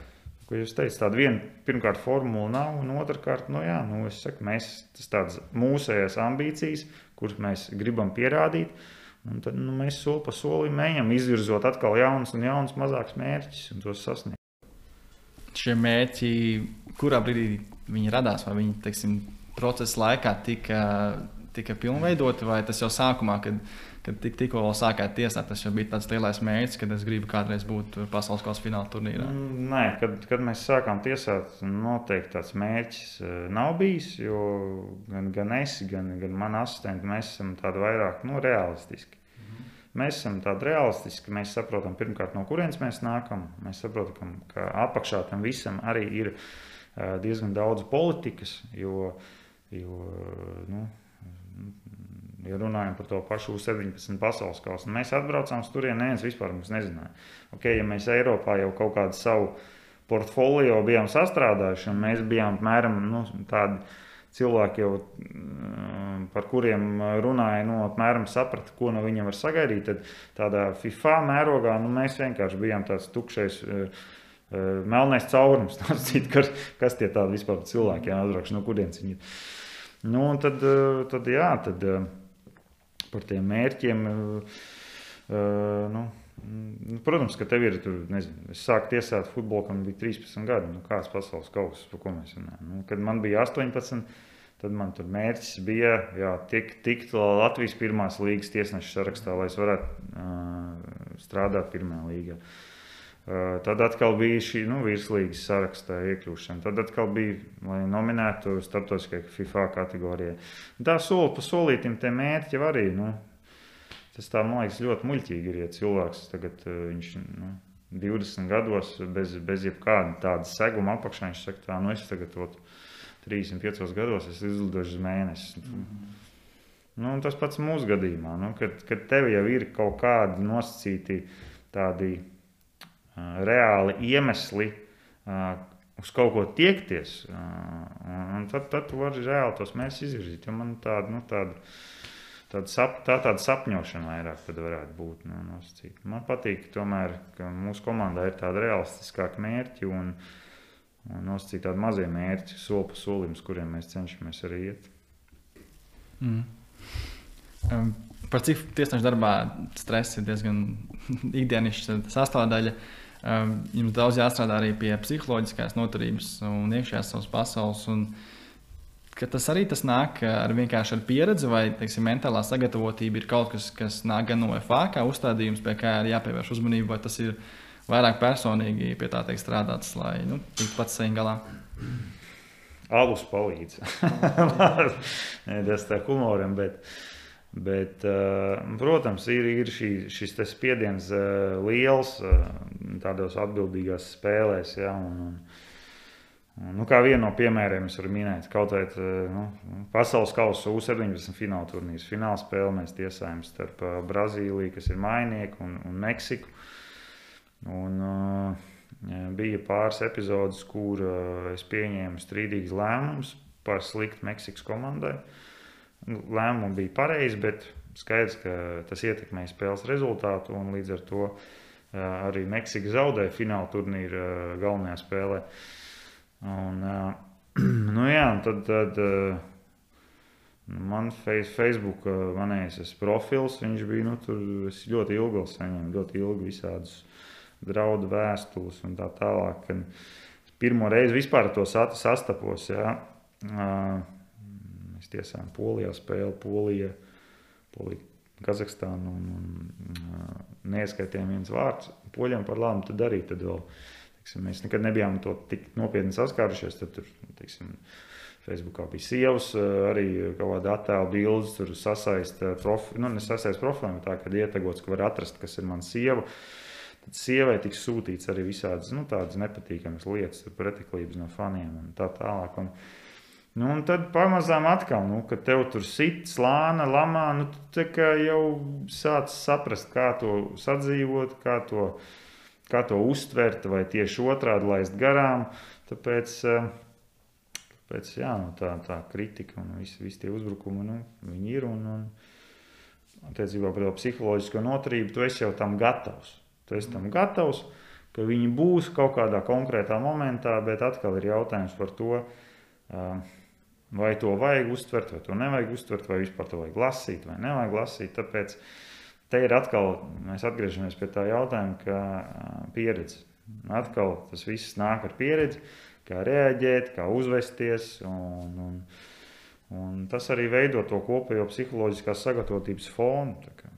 ko jūs teicat, tāda viena, pirmkārt, formula nav, un otrkārt, nu jā, nu es saku, mēs, tas tādas mūsējās ambīcijas, kuras mēs gribam pierādīt, un tad nu, mēs soli pa solim ejam, izvirzot atkal jaunas un jaunas mazākas mērķus un tos sasniegt. Šie mērķi, kurā brīdī viņi radās, vai viņi, teiksim, procesa laikā tika, tika pilnveidoti, vai tas jau sākumā, kad, kad tik, tikko vēl sākāt tiesāt, tas jau bija tāds lielais mērķis, kad es gribu kādreiz būt pasaules kausa fināla turnīrā? Nē, kad, kad mēs sākām tiesāt, noteikti tāds mērķis nav bijis, jo gan, gan es, gan, gan mani asistenti, mēs esam tādi vairāk nu, realistiski. Mhm. Mēs esam tādi realistiski, mēs saprotam pirmkārt, no kurienes mēs nākam, mēs saprotam, ka apakšā tam visam arī ir diezgan daudz politikas, jo Jo, nu, ja runājam par to pašu U septiņpadsmit pasaules kausu, mēs atbraucām uz turieni, neviens vispār mums nezināja. Okay, ja mēs Eiropā jau kaut kādu savu portfolio bijām sastrādājuši, un mēs bijām apmēram nu, tādi cilvēki, jau, par kuriem runāja, nu, apmēram saprata, ko no viņiem var sagaidīt, tad tādā FIFA mērogā nu, mēs vienkārši bijām tāds tukšais melnais caurums, kas, kas tie tādi vispār cilvēki, jā, atbraukšu, no kurienes viņi ir. Nu, un tad, tad, jā, tad par tiem mērķiem, nu, protams, ka tev ir, tur, nezinu, es sāku tiesāt futbolu, kad man bija trīspadsmit gadi, nu, kāds pasaules kauss, par ko mēs runājam. Nu, kad man bija astoņpadsmit, tad man tur mērķis bija, jā, tikt, tikt Latvijas pirmās līgas tiesneša sarakstā, lai es varētu uh, strādāt pirmajā līgā. Tad atkal bija šī nu, virslīgas sarakstā iekļūšana. Tad atkal bija, lai nominētu starptautiskajā FIFA kategorijā. Tā soli pa solītim tie mērķi arī. Nu, tas tā, man liekas, ļoti muļķīgi ir, ja cilvēks tagad viņš nu, divdesmit gados bez, bez jebkāda tāda seguma apakšā. Viņš saka, tā, nu es tagad ot, trīsdesmit piecos gados es izlidošu uz mēnesi. Mm-hmm. Nu, tas pats mūsu gadījumā, nu, kad, kad tev jau ir kaut kādi nosacīti tādi reāli iemesli uh, uz kaut ko tiekties, uh, un tad, tad tu vari reāli tos mērķus izvirzīt, jo man tāda, nu, tāda, tāda, sap, tā, tāda sapņošana vairāk tad varētu būt. Nu, nosacīt. Man patīk tomēr, ka mūsu komandā ir tāda realistiskāka mērķi un, un nosacīt tādi mazie mērķi, soli pa solim, uz kuriem mēs cenšamies arī iet. Mm. Um. Par cik tiesneša darbā stress ir diezgan ikdienišķa sastāvdaļa. Jums daudz jāstrādā arī pie psiholoģiskās noturības un iekšējās savas pasaules. Un ka tas arī tas nāk ar vienkārši ar pieredzi, vai teiksim, mentālā sagatavotība ir kaut kas, kas nāk gan no U E F A kā uzstādījums, pie kā ir jāpievērš uzmanība, vai tas ir vairāk personīgi pie tā teikt strādāts, lai nu, tiktu pats saviem galā? Alus palīdz. Tas tā humoram, bet, bet protams, ir, ir šī, šis spiediens liels tādos atbildīgās spēlēs, ja, un, un Nu, kā vienu no piemēriem es varu minēt, kaut vai nu, pasaules kausa U septiņpadsmit fināla turnīrs. Fināla spēle mēs tiesājam starp Brazīliju, kas ir mainieki, un, un Meksiku. Un, uh, bija pāris epizodes, kur uh, es pieņēmu strīdīgus lēmumus par sliktu Meksikas komandai. Lēmumi bija pareizi, bet skaidrs, ka tas ietekmēja spēles rezultātu, un līdz ar to uh, arī Meksika zaudēja fināla turnīra uh, galvenajā spēlē. Un, nu jā, un tad, tad man Facebook manējais profils, viņš bija, nu, tur es ļoti ilgi saņēmu, ļoti ilgi visādus draudu vēstules un tā tālāk. Pirmo reizi vispār to sastapos, jā. Mēs tiesājām Polijā spēli, Polija, Polija, Kazahstānu un, un neieskaitījām viens vārds. Poļiem par labu tad arī tad vēl. Teiksim, mēs nekad nebijām to tik nopietni saskārušies. Tad tur, teiksim, Facebookā bija sievas, arī kaut kāda attēla bildes, tur sasaist profilu, nu, nesasaist profiliem, tā, kad ietegots, ka var atrast, kas ir mana sieva. Tad sievai tiks sūtīts arī visādas, nu, tādas nepatīkamas lietas, pretiklības no faniem un tā tālāk. Un, nu, un tad pamazām atkal, nu, kad tev tur sit, slāna, lamā, nu, tu tā kā jau sāc saprast, kā to sadzīvot, kā to kā to uztvert, vai tieši otrādi laist garām. Tāpēc, tāpēc jā, nu, tā, tā kritika un visi, visi tie uzbrukumi, nu, viņi ir. Un, un attiecībā par to psiholoģisko noturību, tu esi jau tam gatavs. Tu esi tam gatavs, ka viņi būs kaut kādā konkrētā momentā, bet atkal ir jautājums par to, vai to vajag uztvert, vai to nevajag uztvert, vai vispār to vajag lasīt, vai nevajag lasīt. Tāpēc te ir atkal, mēs atgriežamies pie tā jautājuma, ka pieredze. Atkal tas viss nāk ar pieredzi, kā reaģēt, kā uzvesties, un, un, un tas arī veido to kopējo psiholoģiskās sagatavotības fonu. Tā kā.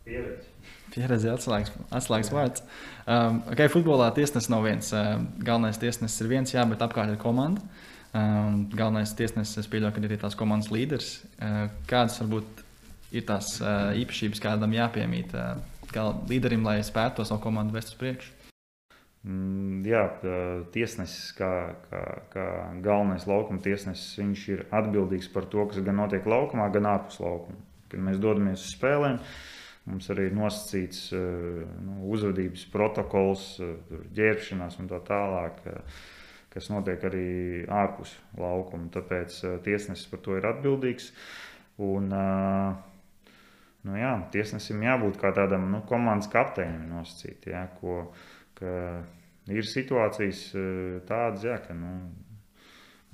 Pieredze. Pieredze atslēgas, atslēgas vārds. Um, okay, futbolā tiesnesis nav viens. Uh, galvenais tiesnesis ir viens, jā, bet apkārt ir komanda. Um, galvenais tiesnesis, es pieļauju, ka ir tās komandas līderis. Uh, kādas varbūt ir tās uh, īpašības, kādam jāpiemīt uh, līderim, lai spētu to savu komandu vest uz priekšu? Mm, jā, tiesnesis, kā, kā, kā galvenais laukuma tiesnesis, viņš ir atbildīgs par to, kas gan notiek laukumā, gan ārpus laukuma. Kad mēs dodamies uz spēlēm, mums arī ir nosacīts uh, nu, uzvedības protokols, uh, ģērbšanās un tā tālāk, uh, kas notiek arī ārpus laukuma. Tāpēc uh, tiesnesis par to ir atbildīgs. Un, uh, Nu jā, tiesnesim jābūt kā tādam nu, komandas kapteinim nosacīt, jā, ko, ka ir situācijas tādas, jā, ka nu,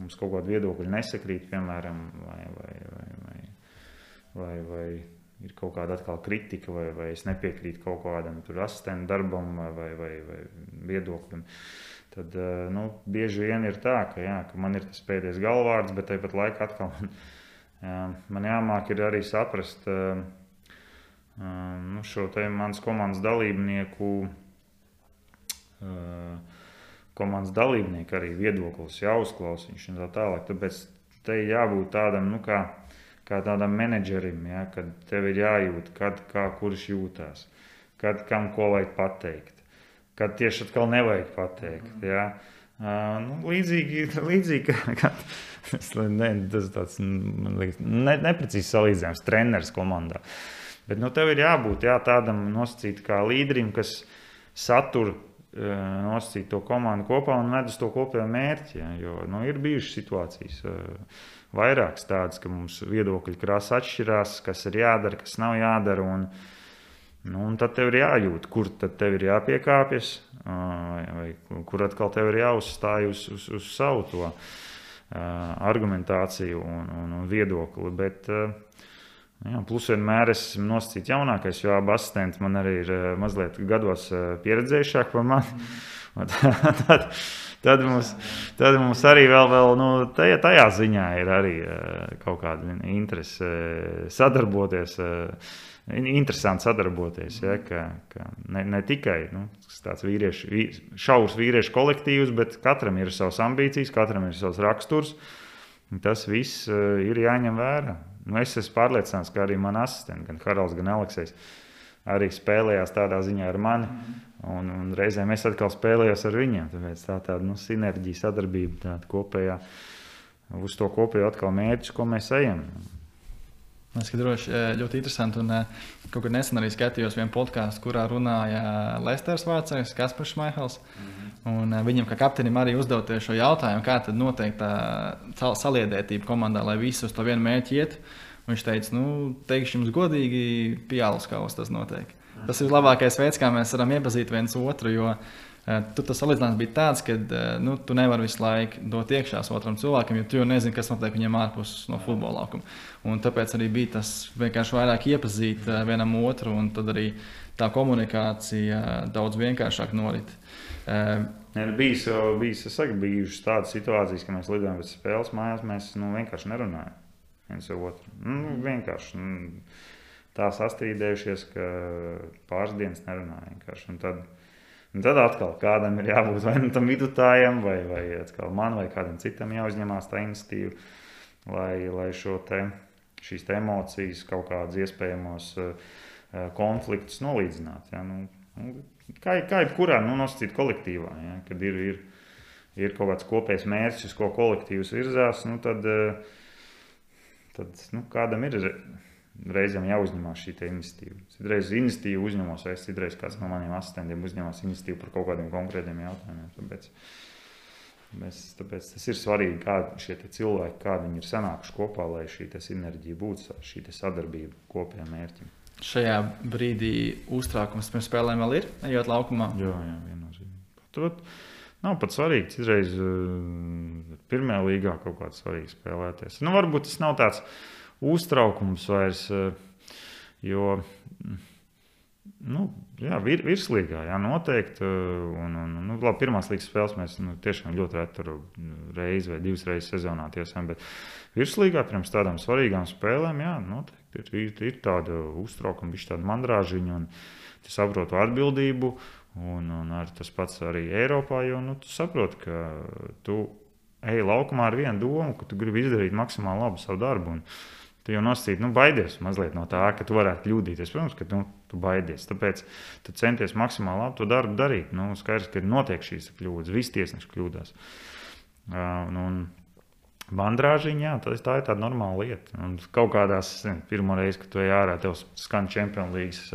mums kaut kāda viedokļa nesakrīt, piemēram, vai, vai, vai, vai, vai, vai ir kaut kāda atkal kritika, vai, vai es nepiekrītu kaut kādam tur asistentu darbam vai, vai, vai viedoklim. Tad nu, bieži vien ir tā, ka, jā, ka man ir tas pēdējais galvārds, bet tāpat laikā atkal man, jā, man jāmāk ir arī saprast, Nu, šo te manas komandas dalībnieku, komandas dalībnieku arī viedoklis jāuzklausa viņš un tā tālāk. Tāpēc te jābūt tādam, nu kā, kā tādam menedžerim, ja, kad tev ir jājūt, kad, kā kurš jūtās, kad kam ko vajag pateikt, kad tieši atkal nevajag pateikt. Ja. Nu, līdzīgi, līdzīgi kā, ne, tas tāds, man liekas, ne, neprecīzi salīdzināms treneris komandā. Bet nu, tev ir jābūt jā, tādam nosacīt kā līderim, kas satur nosacīt to komandu kopā un ved uz to kopējo mērķi. Jā, jo nu, ir bijušas situācijas vairākas tādas, ka mums viedokļi krāsa atšķirās, kas ir jādara, kas nav jādara. Un, nu, un tad tev ir jājūt, kur tad tev ir jāpiekāpjas, vai, vai kur atkal tev ir jāuzstāj uz, uz, uz savu to argumentāciju un, un, un viedokli. Bet, Jā, plus vienmēr es esmu nosacīts jaunākais, jo abi asistenti man arī ir mazliet gados pieredzējušāk par mani. Mm. Tad, tad, mums, tad mums arī vēl, vēl nu, tajā, tajā ziņā ir arī kaut kāda interese sadarboties. Interesanti sadarboties, ja, ka, ka ne, ne tikai nu, tāds vīriešu, šaurs vīriešu kolektīvs, bet katram ir savas ambīcijas, katram ir savs raksturs. Tas viss ir jāņem vērā. Nu, es esmu pārliecināts, ka arī man asistenti, gan Haralds, gan Aleksejs, arī spēlējās tādā ziņā ar mani. Un, un reizēm es atkal spēlējos ar viņiem. Tāpēc tā tāda nu, sinerģija, sadarbība, tāda kopējā, uz to kopējo atkal mērķis, ko mēs ejam. Es droši ļoti interesanti, un kaut kad nesen arī skatījos vienu podkāstu, kurā runāja Leicesters vācējs Kaspars Šmaihls. Mm-hmm. Un viņam kā kapteinim arī uzdevoties šo jautājumu, kā tad notiek tā saliedētība komandā, lai visi uz to vienu mērķi iet. Viņš teica, nu, teikšu jums godīgi, pie alus kaus tas notiek. Mm-hmm. Tas ir labākais veids, kā mēs varam iepazīt viens otru, jo tur tas salīdzinājums bija tāds, ka nu, tu nevari visu laiku dot iekšās otram cilvēkam, jo tu jau nezini, kas notiek viņam ārpus no futbola laukuma. Un tāpēc arī bija tas vienkārši vairāk iepazīt vienam otru, un tad arī tā komunikācija daudz vienkāršāk norit. Ja, bijis, bijis, es saku, bijušas tādas situācijas, ka mēs lidojam pēc spēles mājās, mēs nu, vienkārši nerunājam viens ar otru. Nu, vienkārši nu, tā sastrīdējušies, ka pāris dienas nerunāja vienkārši. Un tad, Un tad atkal kādam ir jābūt vai nu tam vidutājam, vai, vai atkal man, vai kādam citam jāuzņemās tā iniciatīva, lai, lai šo te, šīs te emocijas, kaut kādas iespējamos uh, konfliktus nolīdzināt. Ja? Nu, kā, kā jebkurā nu, nosacīt kolektīvā, ja? Kad ir, ir, ir kaut kāds kopējs mērķis, uz ko kolektīvs virzās, nu, tad, uh, tad nu, kādam ir reizēm jāuzņemās šī iniciatīva. Citreiz iniciatīvu uzņemos, vai es citreiz kāds no maniem asistentiem uzņemās iniciatīvu par kaut kādiem konkrētiem jautājumiem. Tāpēc, tāpēc, tāpēc tas ir svarīgi, kādi šie cilvēki, kādi viņi ir sanākuši kopā, lai šī sinerģija būtu, šī sadarbība kopējā mērķim. Šajā brīdī uztraukums pirms spēlēm vēl ir, ejot laukumā? Jā, jā, viennozīmīgi. Tur nav pat svarīgi, citreiz pirmajā līgā kaut kāds svarīgi spēlēties. Nu, varbūt tas nav tāds uztraukums vairs, jo nu, jā, vir, virslīgā jā, noteikti. Un, un, nu, labi, pirmās līgas spēles mēs nu, tiešām ļoti reti reizi vai divas reizes sezonā tiesām, bet virslīgā pirms tādām svarīgām spēlēm jā, noteikti ir, ir, ir tāda uztraukuma, bišķi tāda mandrāžiņa un tu saprotu atbildību un, un ar tas pats arī Eiropā, jo nu, tu saproti, ka tu ej laukumā ar vienu domu, ka tu gribi izdarīt maksimāli labu savu darbu. Un, tu jau nosacīt, nu, baidies mazliet no tā, ka tu varētu kļūdīties. Protams, ka tu, tu baidies. Tāpēc tu centies maksimāli labi to darbu darīt. Nu, skaidrs, ka notiek šīs kļūdas. Visi tiesneši kļūdās. Un, un bandrāžiņā, jā, tā, tā ir tāda normāla lieta. Un kaut kādās, pirmo reizi, kad tu ej ārā, tev skan Champions Leagues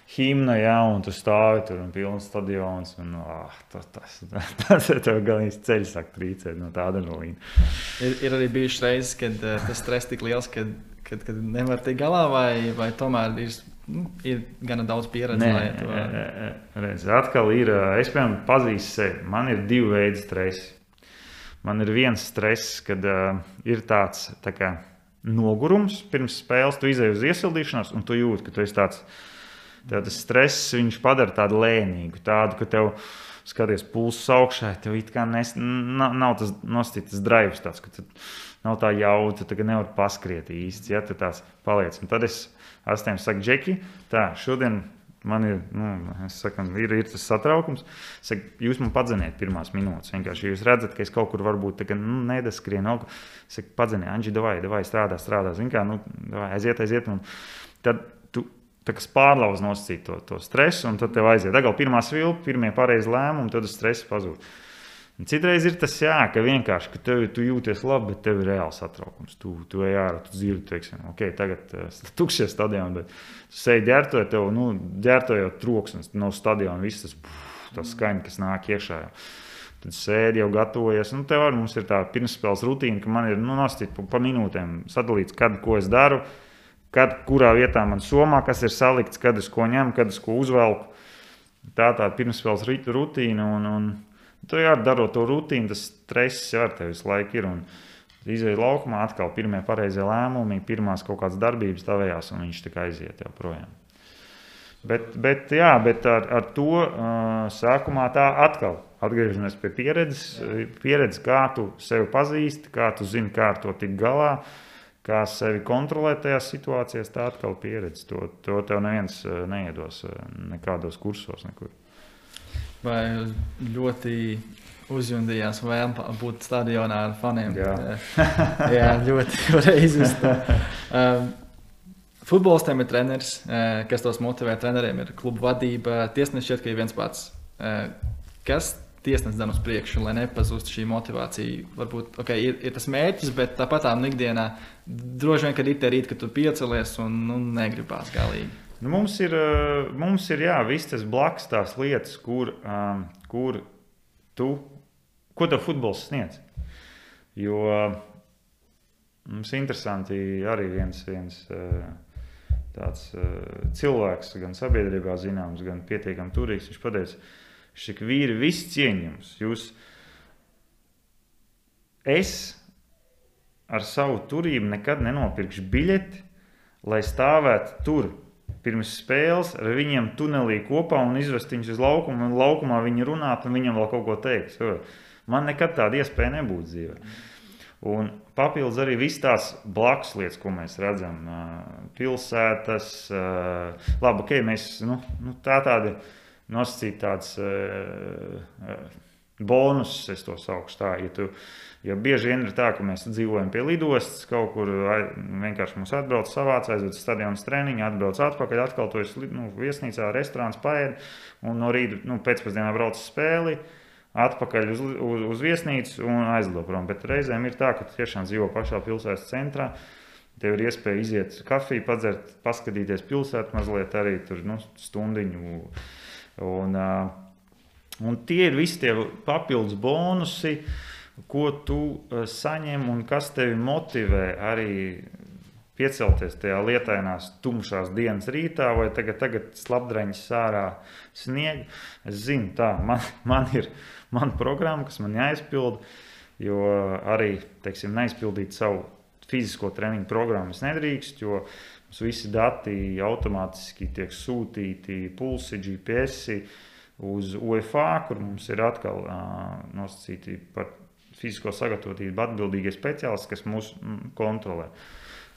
himna, jā, un tu stāvi tur un pilns stadions. Un, ah, tas, tas, tas tev galvenais ceļš sāk trīcēt no tā adrenalīna. Ir, ir arī bijušas reizes, kad uh, tas stress tik liels, kad, kad, kad nevar tikt galā, vai, vai tomēr ir, nu, ir gana daudz pieredze? Nē, lai to... redz, atkal ir, es piemēram pazīstu sevi, man ir divi veidi stresi. Man ir viens stress, kad uh, ir tāds tā kā nogurums pirms spēles, tu izej uz iesildīšanos un tu jūti, ka tu esi tāds. Tev tas stress, viņš padara tādu lēnīgu, tādu, ka tev skaties pulsus augšā, tev it kā nes, nav, nav tas nostītas drives tāds, ka nav tā jauta, tu nevar paskriet īsti, ja tu tās paliec. Un tad es astiem saku, Džeki, tā, šodien man ir, nu, es saku, ir, ir tas satraukums, saku, jūs man padzeniet pirmās minūtes, vienkārši jūs redzat, ka es kaut kur varbūt, tā, ka, nu, nedaskrien, no, saku, padzeniet, Anģi, davai, davai, strādā, strādā, zin kā, nu, davai, aiziet, aiziet, un tad tu, tā kā pārlauz nosacīt to, to stresu, un tad tev aiziet. Agal pirmā svilpa, pirmie pareizi lēmumi, tad stress pazūd. Un citreiz ir tas jā, ka vienkārši, ka tev, tu jūties labi, bet tev ir reāls satraukums. Tu, tu ej ārā, tu dzirdi, teiksim, ok, tagad uh, tukšies stadioni, bet tu seji ģērtoja, tev, nu, ģērtojot troksnis no stadiona, viss tas, puf, tas skaņa, kas nāk iekšā jau. Tad sēdi jau gatavojies. Nu, tev arī mums ir tā pirmsspēles rutīna, ka man ir, nu, nosacīt pa, pa minūtēm sadalīts, kad, ko es daru, kad, kurā vietā man somā, kas ir salikts, kad es ko ņemu, kad es ko uzvelku. Tā tā pirmspēles rutīna, un, un tu jā, darot to rutīnu, tas stress jau ar tevi visu laiku ir, un izveid laukumā atkal pirmie pareizie lēmumi, pirmās kaut kādas darbības tavējās, un viņš tā aiziet jau projām. Bet, bet, jā, bet ar, ar to uh, sākumā tā atkal atgriežamies pie pieredzes, pieredzes, kā tu sevi pazīsti, kā tu zini, kā ar to tik galā, kā sevi kontrolēt tajās situācijās, tā atkal pieredze. To, to tev neviens neiedos nekādos kursos nekur. Vai ļoti uzjundījās vēlme būt stadionā ar faniem? Jā, Jā ļoti reizes. Um, Futbolistiem ir treneris, kas tos motivē. Treneriem ir klubu vadība. Tiesnesis šķiet, ka ir viens pats. Kas tiesnesis dan uz priekšu, lai nepazūst šī motivācija? Varbūt okay, ir, ir tas mērķis, bet tāpat tā ikdienā droši vien, kad ir tie rīti, kad tu piecelies un nu, negribās galīgi. Nu, mums ir, mums ir jā, viss tas blakus tās lietas, kur, um, kur tu, ko tev futbols sniedz. Jo mums interesanti arī viens, viens tāds cilvēks, gan sabiedrībā zināms, gan pietiekami turīgs, viņš pateica, šik vīri viss cieņ jums. Jūs, es ar savu turību nekad nenopirkšu biļeti, lai stāvētu tur pirms spēles ar viņiem tunelī kopā un izvest viņus uz laukumu, un laukumā viņi runāt un viņam vēl kaut ko teiks. Man nekad tāda iespēja nebūtu dzīvē. Un papildus arī viss tās blakus lietas, ko mēs redzam, pilsētas, labi, ok, mēs, nu, nu tā tādi nosacīt tāds bonus, es to saukšu tā, ja tu, ja bieži vien ir tā, ka mēs dzīvojam pie lidostas, kaut kur vienkārši mums atbrauc savāc, aizved stadionas treniņu, atbrauc atpakaļ, atkal tu esi nu, viesnīcā, restorāns paēd, un no rīta, nu, pēcpusdienā brauc spēli, atpakaļ uz, uz, uz viesnīcu un aizlido prom. Bet reizēm ir tā, ka tu tiešām dzīvo pašā pilsētas centrā. Tev ir iespēja iziet kafiju, padzert, paskatīties pilsētu mazliet arī tur nu, stundiņu. Un, un tie ir visi tie papildus bonusi, ko tu saņem un kas tevi motivē arī piecelties tajā lietainās tumšās dienas rītā vai tagad, tagad slapdreņas sārā snieg. Es zinu tā, man, man ir man programma, kas man jāizpild, jo arī, teiksim, neizpildīt savu fizisko treniņu programmu es nedrīkst, jo mums visi dati automātiski tiek sūtīti pulsi, G P S uz U E F A, kur mums ir atkal uh, nosacīti par fizisko sagatavotību atbildīgie speciālisti, kas mūs mm, kontrolē.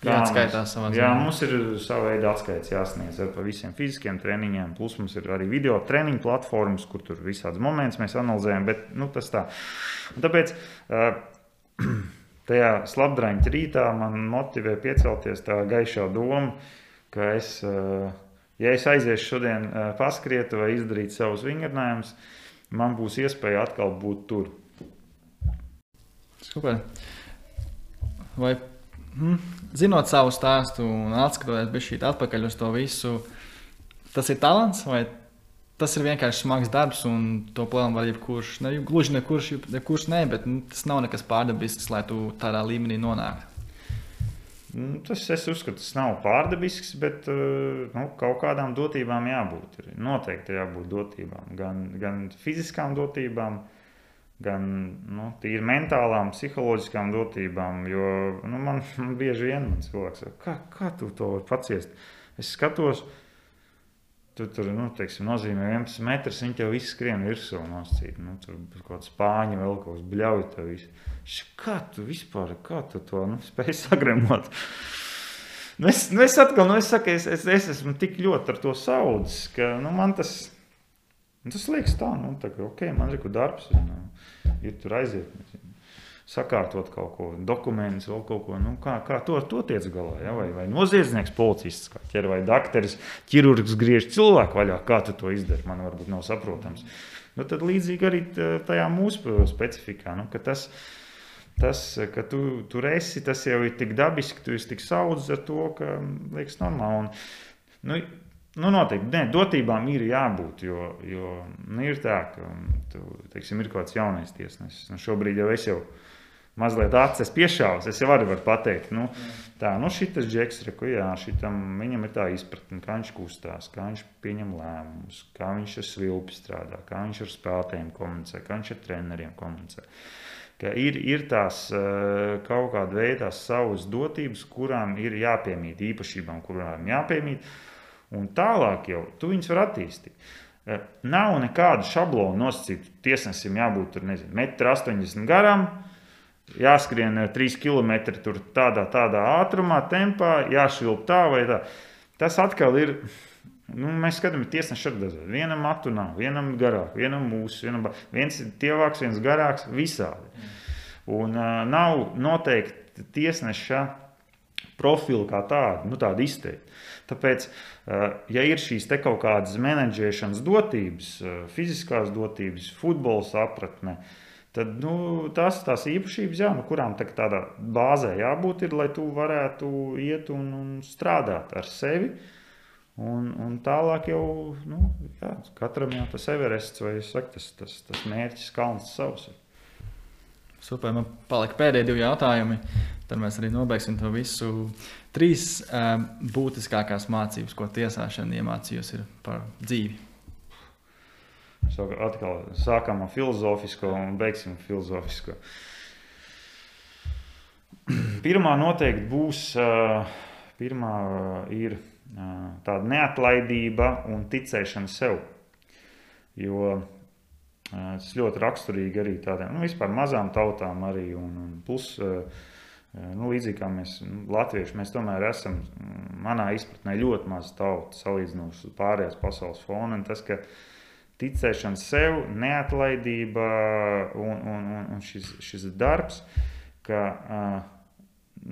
Jā, atskaitās savā jā, mums ir sava veida atskaits jāsniedz ar par visiem fiziskiem treniņiem, plus mums ir arī video treniņu platformas, kur tur visāds moments mēs analizējam, bet nu, tas tā. Un tāpēc tajā slapdraņķa rītā man motivē piecelties tā gaišā doma, ka es, ja es aiziešu šodien paskriet vai izdarīt savus vingrinājumus, man būs iespēja atkal būt tur. Super. Vai Hmm. Zinot savu stāstu un atskatoties bišķīt atpakaļ uz to visu, tas ir talants vai tas ir vienkārši smags darbs un to plēnu var jebkurš, ne, gluži nekurš, nekurš ne, bet nu, tas nav nekas pārdabisks, lai tu tādā līmenī nonāktu. Tas es uzskatu, tas nav pārdabisks, bet nu, kaut kādām dotībām jābūt. Noteikti jābūt dotībām, gan, gan fiziskām dotībām, gan nu, tīri mentālām, psiholoģiskām dotībām, jo nu, man, man bieži vien man cilvēks saka, kā, kā tu to var paciest? Es skatos, tu tur, nu, teiksim, nozīmē vienpadsmit metrus, viņi tev visi skrien virsū noscīt, nu, tur kaut kāds spāņi vēl kaut kāds bļauj tev visu. Kā tu vispār, kā tu to nu, spēj sagremot? Nu, es, nu, es atkal, nu, es saku, es, es, es esmu tik ļoti ar to saudzis, ka, nu, man tas, tas liekas tā, nu, tā ka, ok, man ir darbs, un, ir tur aiziet, sakārtot kaut ko, dokumentus, vēl kaut ko, nu, kā, kā to ar to tiec galā, ja? vai, vai noziedznieks, policists, kā ķer, vai dakteris, ķirurgs griež cilvēku vaļā, kā tu to izdari, man varbūt nav saprotams. Nu, tad līdzīgi arī tajā mūsu specifikā, nu, ka tas, tas, ka tu tur esi, tas jau ir tik dabiski, tu esi tik saudzis ar to, ka liekas normāli. Un, nu, Nu, noteikti, nē, dotībām ir jābūt, jo, jo nu, ir tā, ka tu, teiksim, ir kaut kāds jaunais tiesnesis. Nu, šobrīd jau es jau mazliet acis piešāvus, es jau arī varu pateikt, nu, tā, nu, šitas džeks, reku, jā, šitam, viņam ir tā izpratne, kā viņš kustās, kā viņš pieņem lēmumus, kā viņš ar svilpi strādā, kā viņš ar spēlētājiem komunicē, kā viņš ar treneriem komunicē. Ka ir, ir tās kaut kāda veida savas dotības, kurām ir jāpiemīt, īpašībām, kurām jāpiemīt. Un tālāk jau tu viņus var attīstīt. Nav nekādu šablonu nosacītu. Tiesnesim jābūt tur, nezinu, metru astoņdesmit garam, jāskrien trīs kilometri tur tādā, tādā ātrumā, tempā, jāšvilp tā vai tā. Tas atkal ir, nu, mēs skatāmies tiesneši ar dažādi. Vienam matu nav, vienam garāk, vienam mūsu, vienam, viens ir tievāks, viens garāks, visādi. Un uh, nav noteikti tiesneša profilu kā tādu, nu tādu izteikti. Tāpēc, ja ir šīs te kaut kādas menedžēšanas dotības, fiziskās dotības, futbola sapratne, tad nu, tās, tās īpašības, jā, nu, kurām tā, tādā bāzē jābūt, ir, lai tu varētu iet un, un strādāt ar sevi. Un, un tālāk jau, nu, jā, katram jau tas Everests vai saku, tas, tas, tas mērķis kalns savs. Super, man palika pēdējie divi jautājumi. Tad mēs arī nobeigsim to visu. Trīs um, būtiskākās mācības, ko tiesāšana iemācījusi ir par dzīvi. So, atkal sākam ar filozofisko un beigsim filozofisko. Pirmā noteikti būs, uh, pirmā ir uh, tāda neatlaidība un ticēšana sev. Jo tas ļoti raksturīgi arī tādiem, nu, vispār mazām tautām arī, un, un plus, nu, līdzīgi kā mēs, nu, latvieši, mēs tomēr esam, manā izpratnē, ļoti maz tauta salīdzinoši uz pārējās pasaules fona, un tas, ka ticēšana sev, neatlaidība un, un, un, un šis, šis darbs, ka,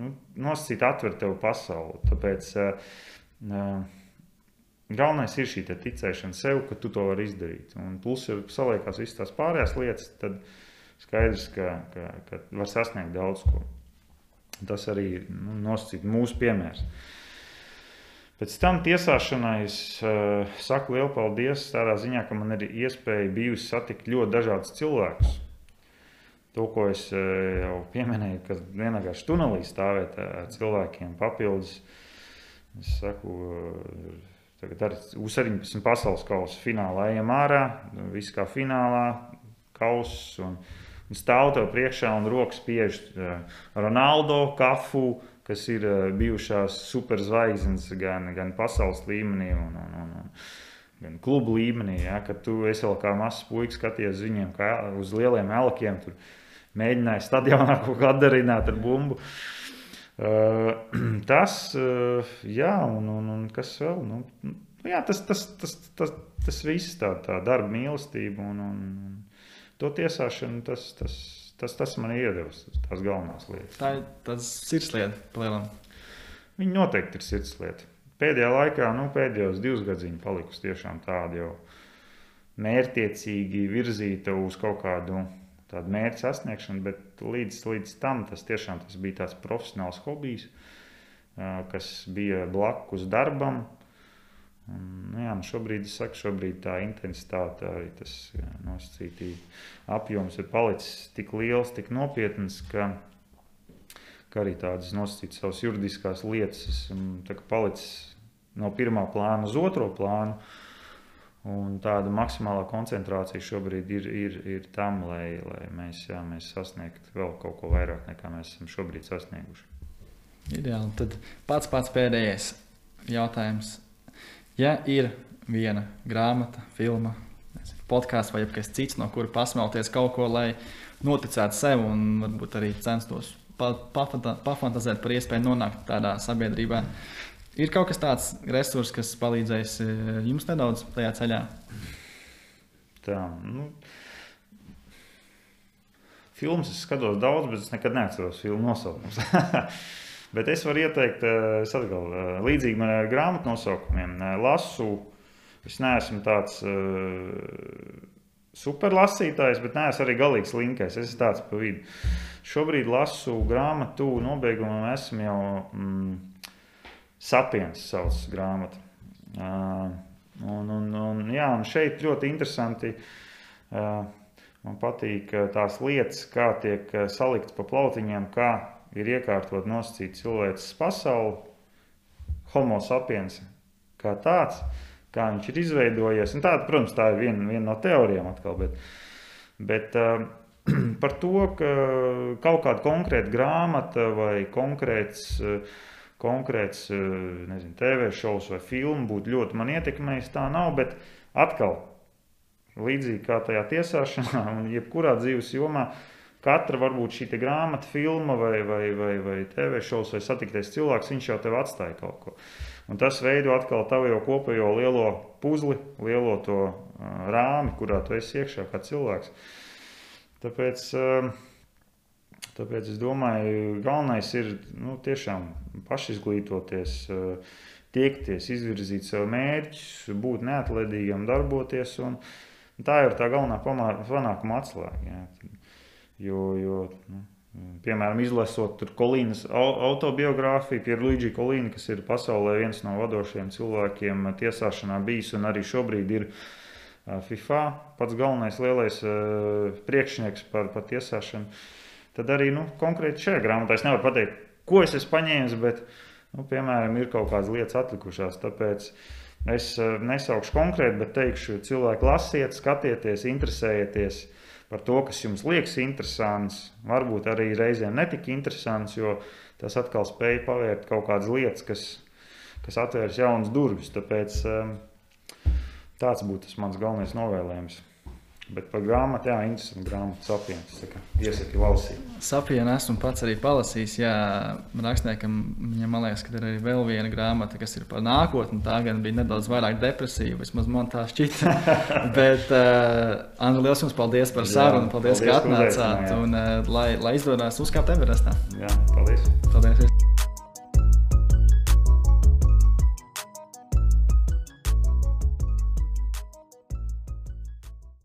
nu, nosacīt atver tev pasauli, tāpēc galvenais ir šī ticēšana sev, ka tu to vari izdarīt. Un plus, ja saliekās visas tās pārējās lietas, tad skaidrs, ka, ka, ka var sasniegt daudz ko. Tas arī, nu, nosacīt mūsu piemērs. Pēc tam tiesāšanai es uh, saku lielu paldies tādā ziņā, ka man ir iespēja bijusi satikt ļoti dažādus cilvēkus. To, ko es uh, jau pieminēju, ka vienkārši tunelī stāvēt ar cilvēkiem papildus. Es saku, uh, tagad ar U septiņpadsmit pasaules kausa finālā ejam ārā, viss kā finālā, kauss, un, un stāv tev priekšā un rokas spiež Ronaldo, Kafu, kas ir bijušās superzvaigznes gan, gan pasaules līmenī un, un, un, un gan klubu līmenī, ja, kad tu esi vēl kā mazs puiks skaties viņiem kā uz lieliem elkiem, tur mēģināja stadionā kaut kā atdarināt ar bumbu. Uh, tas, uh, jā, un, un, un kas vēl, nu, jā, tas, tas, tas, tas, tas viss tā, tā darba mīlestība un, un, un to tiesāšanu, tas, tas, tas, tas man iedevis, tās galvenās lietas. Tā ir tas sirdslieta, palielam. Viņa noteikti ir sirdslieta. Pēdējā laikā, nu, pēdējos divus gadzīņi palikusi tiešām tāda jau mērķtiecīgi virzīta uz kaut kādu tādu mērķu sasniegšanu, bet līdz, līdz tam tas tiešām tas bija tāds profesionāls hobijs, kas bija blakus darbam. Un, nu jā, šobrīd, es saku, šobrīd tā intensitāte, arī tas nosacītī apjoms ir palicis tik liels, tik nopietns, ka, ka arī tādas nosacītas savas juridiskās lietas esmu tā kā palicis no pirmā plāna uz otro plānu. Un tāda maksimālā koncentrācija šobrīd ir, ir, ir tam, lai, lai mēs, jā, mēs sasniegtu vēl kaut ko vairāk, nekā mēs esam šobrīd sasnieguši. Ideāli. Tad pats pats pēdējais jautājums. Ja ir viena grāmata, filma, podkāsts vai jebkas cits, no kura pasmelties kaut ko, lai noticētu sev un varbūt arī censtos pa, pafanta, pafantazēt par iespēju nonākt tādā sabiedrībā, ir kaut kas tāds resurs, kas palīdzēs jums nedaudz tajā ceļā? Tā, nu, filmas es skatos daudz, bet es nekad neatceros filmu nosaukums. Bet es varu ieteikt, es atkal, līdzīgi man ar grāmatu nosaukumiem, lasu, es neesmu tāds uh, super lasītājs, bet neesmu arī galīgs linkais, es esmu tāds pa vidu. Šobrīd lasu grāmatu, nobeigumam esmu jau... Mm, Sapiens sauc grāmata. Uh, un, un, un, jā, un šeit ļoti interesanti, uh, man patīk tās lietas, kā tiek salikts pa plautiņiem, kā ir iekārtot nosacīt cilvēces pasauli, homo sapiens kā tāds, kā viņš ir izveidojies. Un tāda, protams, tā ir viena, viena no teorijām atkal, bet, bet uh, par to, ka kaut kāda konkrēta grāmata vai konkrēts uh, konkrēts, nezinu, T V šovs vai filmu būtu ļoti man ietekmējis, tā nav, bet atkal līdzīgi kā tajā tiesāšanā un jebkurā dzīves jomā, katra varbūt šī grāmata, filma vai, vai, vai, vai T V šovs vai satiktais cilvēks, viņš jau tev atstāja kaut ko. Un tas veido atkal tavu jau kopējo lielo puzli, lielo to uh, rāmi, kurā tu esi iekšā kā cilvēks. Tāpēc, uh, tāpēc es domāju, galvenais ir nu, tiešām pašizglītoties, uh, tiekties, izvirzīt sev mērķus, būt neatlaidīgam, darboties. Un tā ir tā galvenā panākuma atslēga. Jā. Jo, jo nu, piemēram, izlasot tur Kolīnas autobiogrāfiju, Pierluigi Kolīni, kas ir pasaulē viens no vadošajiem cilvēkiem tiesāšanā bijis un arī šobrīd ir FIFA pats galvenais lielais priekšnieks par, par tiesāšanu, tad arī nu, konkrēti šajā grāmatā es nevaru pateikt, ko es esmu paņēmis, bet, nu, piemēram, ir kaut kādas lietas atlikušās, tāpēc es nesaukšu konkrēti, bet teikšu, cilvēki lasiet, skatieties, interesējieties par to, kas jums liekas interesants, varbūt arī reizēm netika interesants, jo tas atkal spēja pavērt kaut kādas lietas, kas, kas atvērs jaunas durvis. Tāpēc tāds būtu tas mans galvenais novēlējums. Bet par grāmatu, jā, interesanti grāmatu Sapiens, iesaki lasīt. Sapienu esmu pats arī palasījis, jā, rakstniekam, viņam man liekas, ka ir arī vēl viena grāmata, kas ir par nākotni, tā gan bija nedaudz vairāk depresīva, vismaz man tā šķita. Bet, uh, Andri, liels jums paldies par sarunu, paldies, paldies ka atnācāt, un uh, lai, lai izdodās uzkāpt Everestā. Jā, paldies. Paldies.